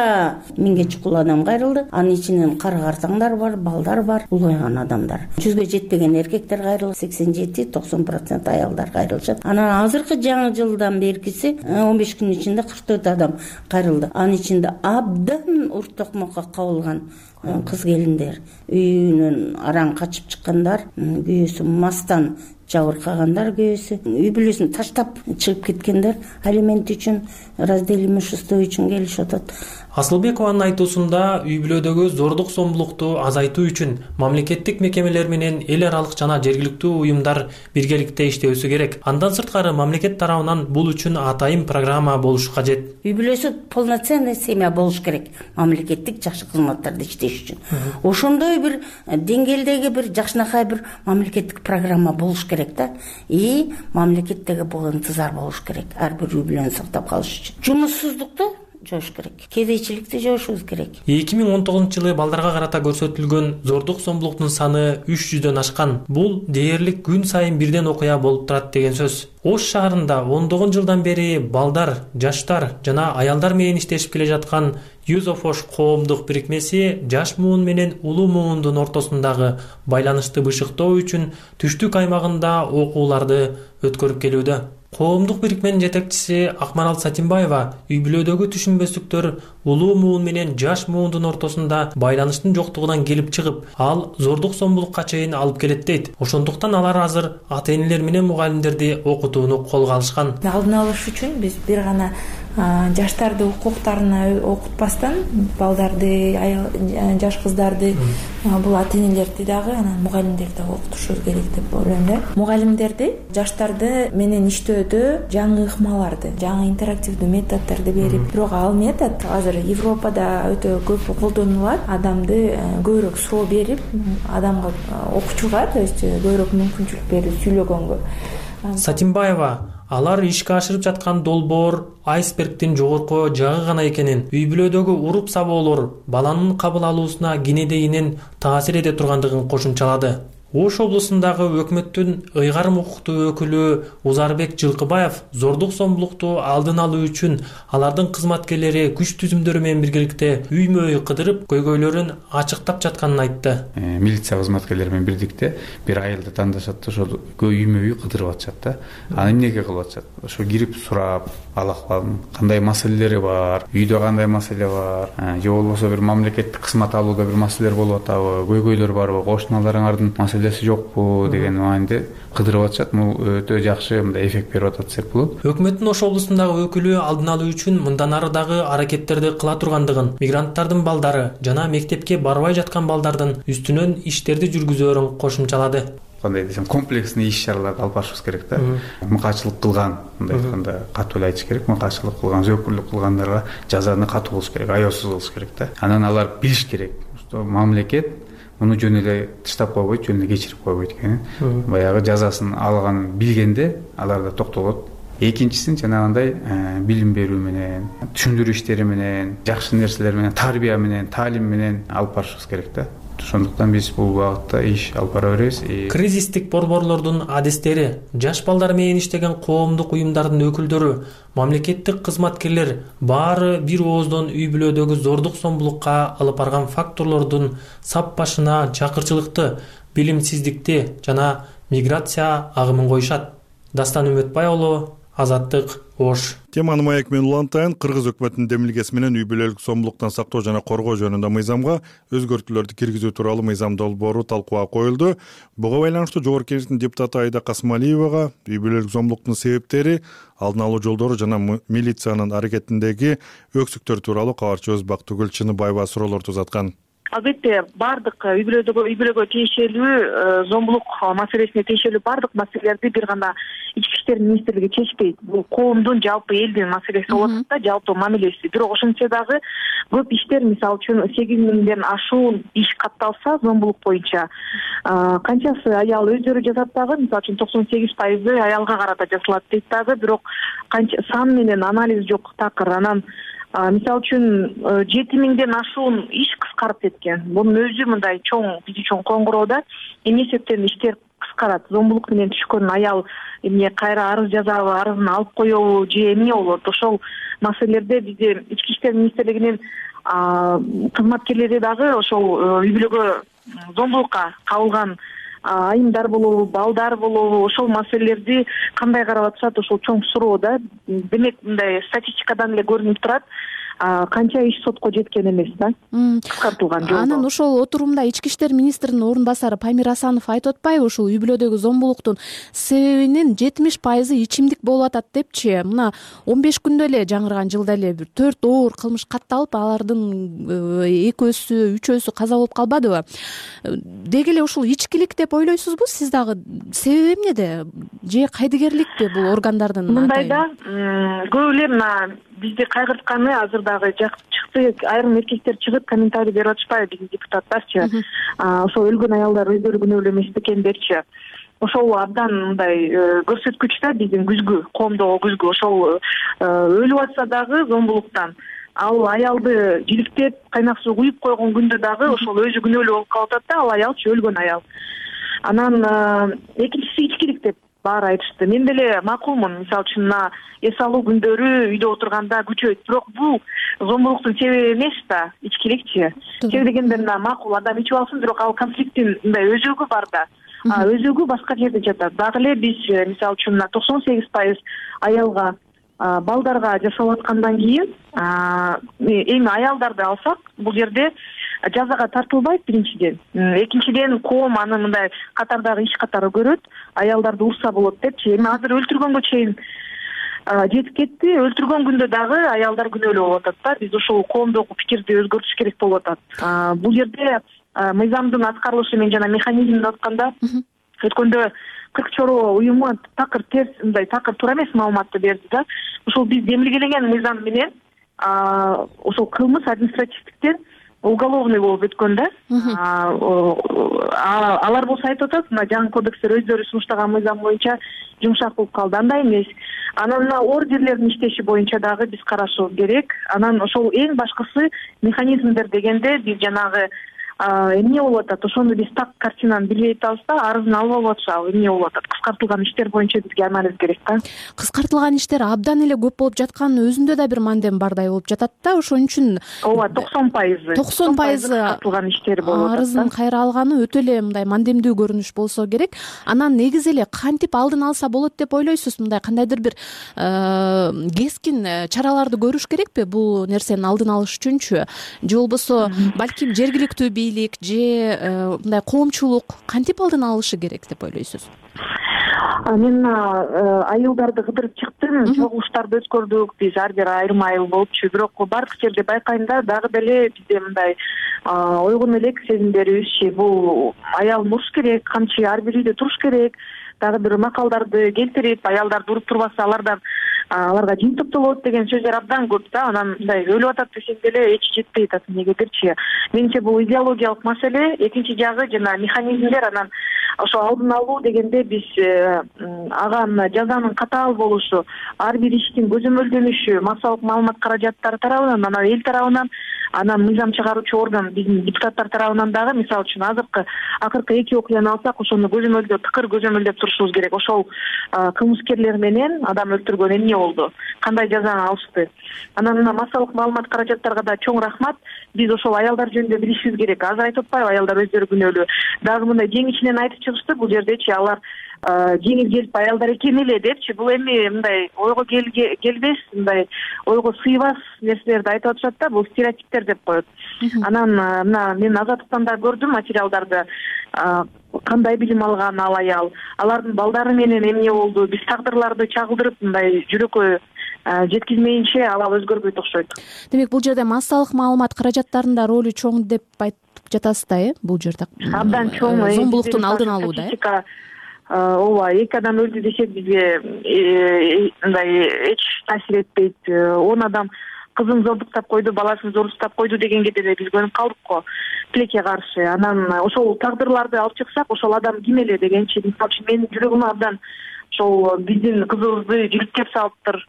миңге чукул адам кайрылды. Анын ичинен кара-картаңдар бар, балдар бар, улгайган адамдар. Жүзгө жетпеген эркектер кайрылды, сексен жети токсон процент аялдар кайрылышат. Анан азыркы жаңы жылдан беркиси он беш күнүн ичинде кырк төрт адам кайрылды. Анын ичинде абдан ур токмокко кабылган кыз келиндер, үйүнөн араң качып чыккандар, күйөөсү мастан жабыркагандар, күйөөсү үй бүлөсүн таштап чыгып кеткендер, алимент үчүн, раздел имущество үчүн келишип атат. Асылбекованын айтуусунда үй бүлөдөгү зордук зомбулукту азайтуу үчүн мамлекеттик мекемелер менен эл аралык жана жергиликтүү уюмдар биргеликте иштөөсү керек. Андан сырткары мамлекет тарабынан бул үчүн атайын программа болушу кажет. Үй бүлөсү полноценный семья болуш керек, мамлекеттик жакшы кызматтарда иштеш үчүн. Ошондой бир деңгээлдеги бир жакшынакай бир мамлекеттик программа болуш керек да. И мамлекеттеги бул ынтызар болуш керек ар бир үй бүлөнү сактап калыш үчүн. Жумуссуздукту жоош керек, кедейчиликти жоошубуз керек. эки миң он тогузунчу жылы балдарга карата көрсөтүлгөн зордук зомбулуктун саны үч жүздөн ашкан. Бул дээрлик күн сайын бирден окуя болуп турат деген сөз. Ош шаарында ондогон жылдан бери балдар, жаштар жана аялдар менен иштешип келе жаткан Youth of Osh коомдук бирикмеси жаш муун менен улуу муундун ортосундагы байланышты бышыктоо үчүн түштүк аймагында окууларды өткөрүп келүүдө. Коомдук бирикменин жетекчиси Акмарал Сатимбаева үй бүлөдөгү түшүнбөстүктөр улуу муун менен жаш муундун ортосунда байланыштын жоктугунан келип чыгып, ал зордук зомбулукка чейин алып келет дейт. Ошондуктан алар азыр ата-энелер менен мугалимдерди окутууну колго алышкан. Алдын алыш үчүн биз бир гана жаштарды укуктарына окутпастан балдарды, жаш кыздарды, бул ата-энелерди дагы, анан мугалимдерди дагы окутушубуз керек деп ойлойм да. Мугалимдерди жаштарды менен иштөөдө жаңы ыкмаларды, жаңы интерактивдүү методдорду берип, бирок ал метод азыр Европада өтө көп колдонулат. Адамды көбүрөөк суроо берип, адамга окуучуга, то есть көбүрөөк мүмкүнчүлүк берип сүйлөгөнгө. Сатимбаева алар ишке ашырып жаткан долбоор айсбергдин жогорку жагы гана экенин, үй бүлөдөгү уруп сабоолор баланын кабыл алуусуна кенедейинен таасир эте тургандыгын кошумчалады. Ош облусундагы өкмөттүн ыйгарым укуктуу өкүлү Узарбек Жылкыбаев зордук зомбулукту алдын алуу үчүн алардын кызматкерлери күч түзүмдөрү менен биргеликте үймө үй кыдырып, көйгөйлөрүн ачыктап жатканын айтты. Милиция кызматкерлери менен бирдикте бир айылды тандашат, ошол үймө үй кыдырып атышат да. Аны эмнеге кылып атышат? Ошо кирип сурап, ал акыбалын кандай маселелери бар, үйдө кандай маселе бар, же болбосо бир мамлекеттик кызмат алууда бир маселелер болуп атабы, көйгөйлөр барбы, кошуналарыңардын маселеси жокпу деген мааниде кыдырып атышат. Бул өтө жакшы мындай эффект берип атат десек болот. Өкмөттүн Ош облусундагы өкүлү алдын алуу үчүн мындан ары дагы аракеттерди кыла тургандыгын, мигранттардын балдары жана мектепке барбай жаткан балдардын үстүнөн иштерди жүргүзөөрүн кошумчалады. Кандай десем, комплексный иш-чараларды алып барышыбыз керек да. Мыкаачылык кылган, мындай айтканда катуу эле айтыш керек, мыкаачылык кылган, зөөкүрлүк кылгандарга жазаны катуу кылыш керек, аяосуз кылыш керек да. Анан алар билиш керек, что мамлекет муну жөн эле тыштап койбойт, жөн эле кечирип койбойт экенин. Баягы жазасын алганын билгенде алар да токтолот. Экинчисин жанагындай билим берүү менен, түшүндүрүү иштери менен, жакшы нерселер менен, тарбия менен, таалим менен алып барышыбыз керек да. Ошондуктан биз бул багытта иш алып бара беребиз. Кризистик борборлордун адистери, жаш балдар менен иштеген коомдук уюмдардын өкүлдөрү, мамлекеттик кызматкерлер баары бир ооздон үй бүлөдөгү зордук зомбулукка алып барган факторлордун сап башына чакырчылыкты, билимсиздикти жана миграция агымын коюшат. Дастан Үмөтбай уулу, Азаттык, Ош. Теманы Маек менен улантайын. Кыргыз өкмөтүнүн демилгеси менен үй бүлөлүк зомбулуктан сактоо жана коргоо жөнүндө мыйзамга өзгөртүүлөрдү киргизүү тууралуу мыйзам долбоору талкууга коюлду. Буга байланыштуу Жогорку Кеңештин депутаты Айда Касымалиевага үй бүлөлүк зомбулуктун себептери, алдын алуу жолдору жана милициянын аракетиндеги өксүктөр тууралуу кабарчыбыз Бактыгүл Чыныбаева суроолорду узаткан. Албетте баардык үй бүлөдөгү үй бүлөгө тиешелүү зомбулук маселесине тиешелүү баардык маселелерди бир гана ички иштер министрлиги чечпейт. Бул коомдун, жалпы элдин маселеси болуп атат да, жалпы мамилеси. Бирок ошентсе дагы көп иштер, мисалы үчүн сегиз миңден ашуун иш катталса зомбулук боюнча, канчасы аял өздөрү жазат дагы, мисалы үчүн токсон сегиз пайызы аялга карата жасалат дейт дагы, бирок канча сан менен анализ жок такыр. Анан мисалы үчүн жети миңден ашуун иш кыскарып кеткен. Бунун өзү мындай чоң, биз үчүн коңгуроо да. Эмне себептен иштер кыскарат? Зомбулук менен түшкөн аял эмне кайра арыз жазабы, арызын алып коебу же эмне болот? Ошол маселелерде бизде ички иштер министрлигинин кызматкерлери дагы ошол үй бүлөгө зомбулукка кабылган айымдар болобу, балдар болобу, ошол маселелерди кандай карап атышат, ошол чоң суроо да. Демек мындай статистикадан эле көрүнүп турат, канча иш сотко жеткен эмес да, кыскартылган жолдо. Анан ошол отурумда ички иштер министринин орун басары Памир Асанов айтып атпайбы, ушул үй бүлөдөгү зомбулуктун себебинин жетимиш пайызы ичимдик болуп атат депчи. Мына он беш күндө эле, жаңырган жылда эле бир төрт оор кылмыш катталып, алардын экөөсү, үчөөсү каза болуп калбадыбы? Деги эле ушул ичкилик деп ойлойсузбу сиз дагы? Себеби эмнеде? Же кайдыгерликпи бул органдардын? Мындай да, көп эле мына бизди кайгыртканы азыр дагы чыкты, айрым эркектер чыгып комментарий берип атышпайбы биздин депутаттарчы. Ошол өлгөн аялдар өздөрү күнөөлүү эмес бекендерчи. Ошол абдан мындай көрсөткүч да, биздин күзгү, коомдогу күзгү. Ошол өлүп атса дагы зомбулуктан, ал аялды жиликтеп кайнак суу куюп койгон күндө дагы ошол өзү күнөөлүү болуп калып атат да, ал аялчы, өлгөн аял. Анан экинчиси ичкилик деп баары айтышты. Мен деле макулмун, мисалы үчүн мына эс алуу күндөрү үйдө отурганда күчөйт. Бирок бул зомбулуктун себеби эмес да, ичкиликчи. Себеби дегенде мына макул адам ичип алсын, бирок ал конфликттин мындай өзөгү бар да. Өзөгү башка жерде жатат. Дагы эле биз мисалы үчүн мына токсон сегиз пайыз аялга, балдарга жасалып аткандан кийин, эми аялдарды алсак, бул жерде жазага тартылбайт биринчиден. Экинчиден коом аны мындай катардагы иш катары көрөт, аялдарды урса болот депчи. Эми азыр өлтүргөнгө чейин жетип кетти. Өлтүргөн күндө дагы аялдар күнөөлүү болуп атат да. Биз ошол коомдогу пикирди өзгөртүш керек болуп атат. Бул жерде мыйзамдын аткарылышы менен жана механизмин атканда өткөндө кырк чороо уюму такыр терс, мындай такыр туура эмес маалыматты берди да. Ошол биз демилгелеген мыйзам менен ошол кылмыш административдиктен уголовный болуп өткөн да. Алар болсо айтып атат, мына жаңы кодекстер өздөрү сунуштаган мыйзам боюнча жумшак болуп калды. Андай эмес. Анан мына ордерлердин иштеши боюнча дагы биз карашыбыз керек. Анан ошол эң башкысы механизмдер дегенде биз жанагы эмне болуп атат, ошону биз так картинаны билбей атабыз да, арызын алып алып атышабы, эмне болуп атат. Кыскартылган иштер боюнча бизге анализ керек да. Кыскартылган иштер абдан эле көп болуп жатканын өзүндө да бир мандем бардай болуп жатат да. Ошон үчүн ооба токсон пайызы токсон пайызы кыскартылган иштер болуп атат. Арызын кайра алганы өтө эле мындай мандемдүү көрүнүш болсо керек. Анан негизи эле кантип алдын алса болот деп ойлойсуз? Мындай кандайдыр бир кескин чараларды көрүш керекпи бул нерсенин алдын алыш үчүнчү? Же болбосо балким жергиликтүү бийлик же мындай коомчулук кантип алдын алышы керек деп ойлойсуз? Мен айылдарды кыдырып чыктым, чогулуштарды өткөрдүк, биз ар бир айрым айыл болупчу. Бирок бардык жерде байкайм да, дагы деле бизде мындай ойгон элек сезимдерибизчи, бул аял муруш керек, камчы ар бир үйдө туруш керек. Дагы бир макалдарды келтирип, аялдарды уруп турбаса алардан аларга жин топтолот деген сөздөр абдан көп да. Анан мындай өлүп атат десең деле эч жетпей атат. Эмнегедирчи? Менимче бул идеологиялык маселе. Экинчи жагы жана механизмдер. Анан ошо алдын алуу дегенде биз ага жазанын катаал болушу, ар бир иштин көзөмөлдөнүшү, массалык маалымат каражаттары тарабынан, анан эл тарабынан, анан мыйзам чыгаруучу орган биздин депутаттар тарабынан дагы, мисалы үчүн азыркы акыркы эки окуяны алсак, ошону көзөмөлдөп, тыкыр көзөмөлдөп турушубуз керек. Ошол кылмыскерлер менен адам өлтүргөн эмне болду, кандай жазаны алышты. Анан мына массалык маалымат каражаттарга да чоң рахмат. Биз ошол аялдар жөнүндө билишибиз керек. Азыр айтып атпайбы, аялдар өздөрү күнөөлүү. Дагы мындай жеңичинен айтып чыгышты, бул жердечи алар жеңил келип аялдар экен эле депчи. Бул эми мындай ойго келбес, мындай ойго сыйбас нерселерди айтып атышат да, бул стереотиптер деп коет. Анан мына мен Азаттыктан да көрдүм материалдарды, кандай билим алган ал аял, алардын балдары менен эмне болду, биз тагдырларды чагылдырып мындай жүрөккө жеткизмейинче ал өзгөрбөйт окшойт. Демек бул жерде массалык маалымат каражаттарынын ролу чоң деп айтып жатасыз да, э? Бул жерде абдан чоң. Зомбулуктун алдын алууда, э? ооба эки адам өлдү десек бизге мындай эч таасир этпейт. он адам кызын зордуктап койду, баласын зордуктап койду дегенге деле биз көнүп калдык го тилекке каршы. Анан ошол тагдырларды алып чыксак, ошол адам ким эле дегенчи, мисалы үчүн менин жүрөгүм абдан ошол биздин кызыбызды жиликтеп салыптыр,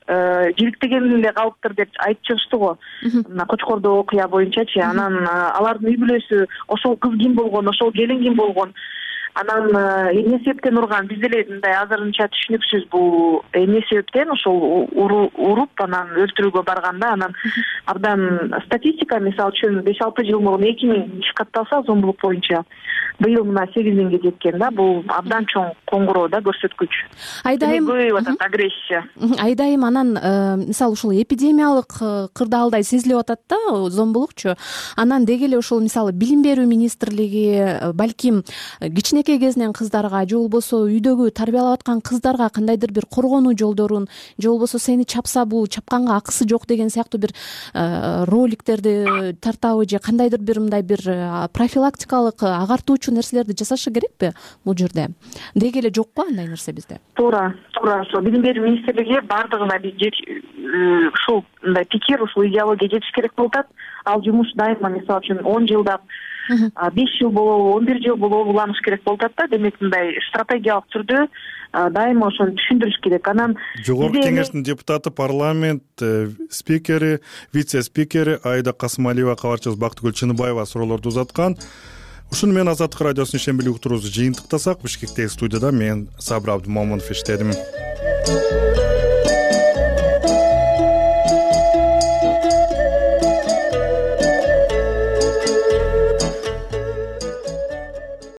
жиликтеген эле калыптыр деп айтып чыгышты го. Мына Кочкордо окуя боюнчачы. Анан алардын үй бүлөсү ошол кыз ким болгон, ошол келин ким болгон, анан эмне себептен урган, биз деле мындай азырынча түшүнүксүз бул эмне себептен ошол уруп анан өлтүрүүгө барганда. Анан абдан статистика, мисалы үчүн беш алты жыл мурун эки миң иш катталса зомбулук боюнча, быйыл мына сегиз миңге жеткен да. Бул абдан чоң коңгуроо да, көрсөткүч. Айдайым көбөйүп атат агрессия. Айдайым анан мисалы ушул эпидемиялык кырдаалдай сезилип атат да зомбулукчу. Анан деги эле ушул мисалы билим берүү министрлиги балким кичинекей кезинен кыздарга же болбосо үйдөгү тарбиялап аткан кыздарга кандайдыр бир коргонуу жолдорун, же болбосо сени чапса бул чапканга акысы жок деген сыяктуу бир роликтерди тартабы, же кандайдыр бир мындай бир профилактикалык агартуучу нерселерди жасашы керекпи бул жерде? Деги эле жок го андай нерсе бизде. Туура, туура. Ошо билим берүү министрлиги бардыгына ушул мындай пикир, ушул идеология жетиш керек болуп атат. Ал жумуш дайыма, мисалы үчүн он жылдап, беш жыл болобу, он бир жыл болобу уланыш керек болуп атат да. Демек мындай стратегиялык түрдө дайыма ошону түшүндүрүш керек. Анан Жогорку кеңештин депутаты, парламент спикери, вице-спикери Айда Касымалиева, кабарчыбыз Бактыгүл Чыныбаева суроолорду узаткан. Ушуну менен Азаттык радиосунун ишембилик уктуруубузду жыйынтыктасак, Бишкектеги студияда мен Сабыр Абдымомунов иштедим.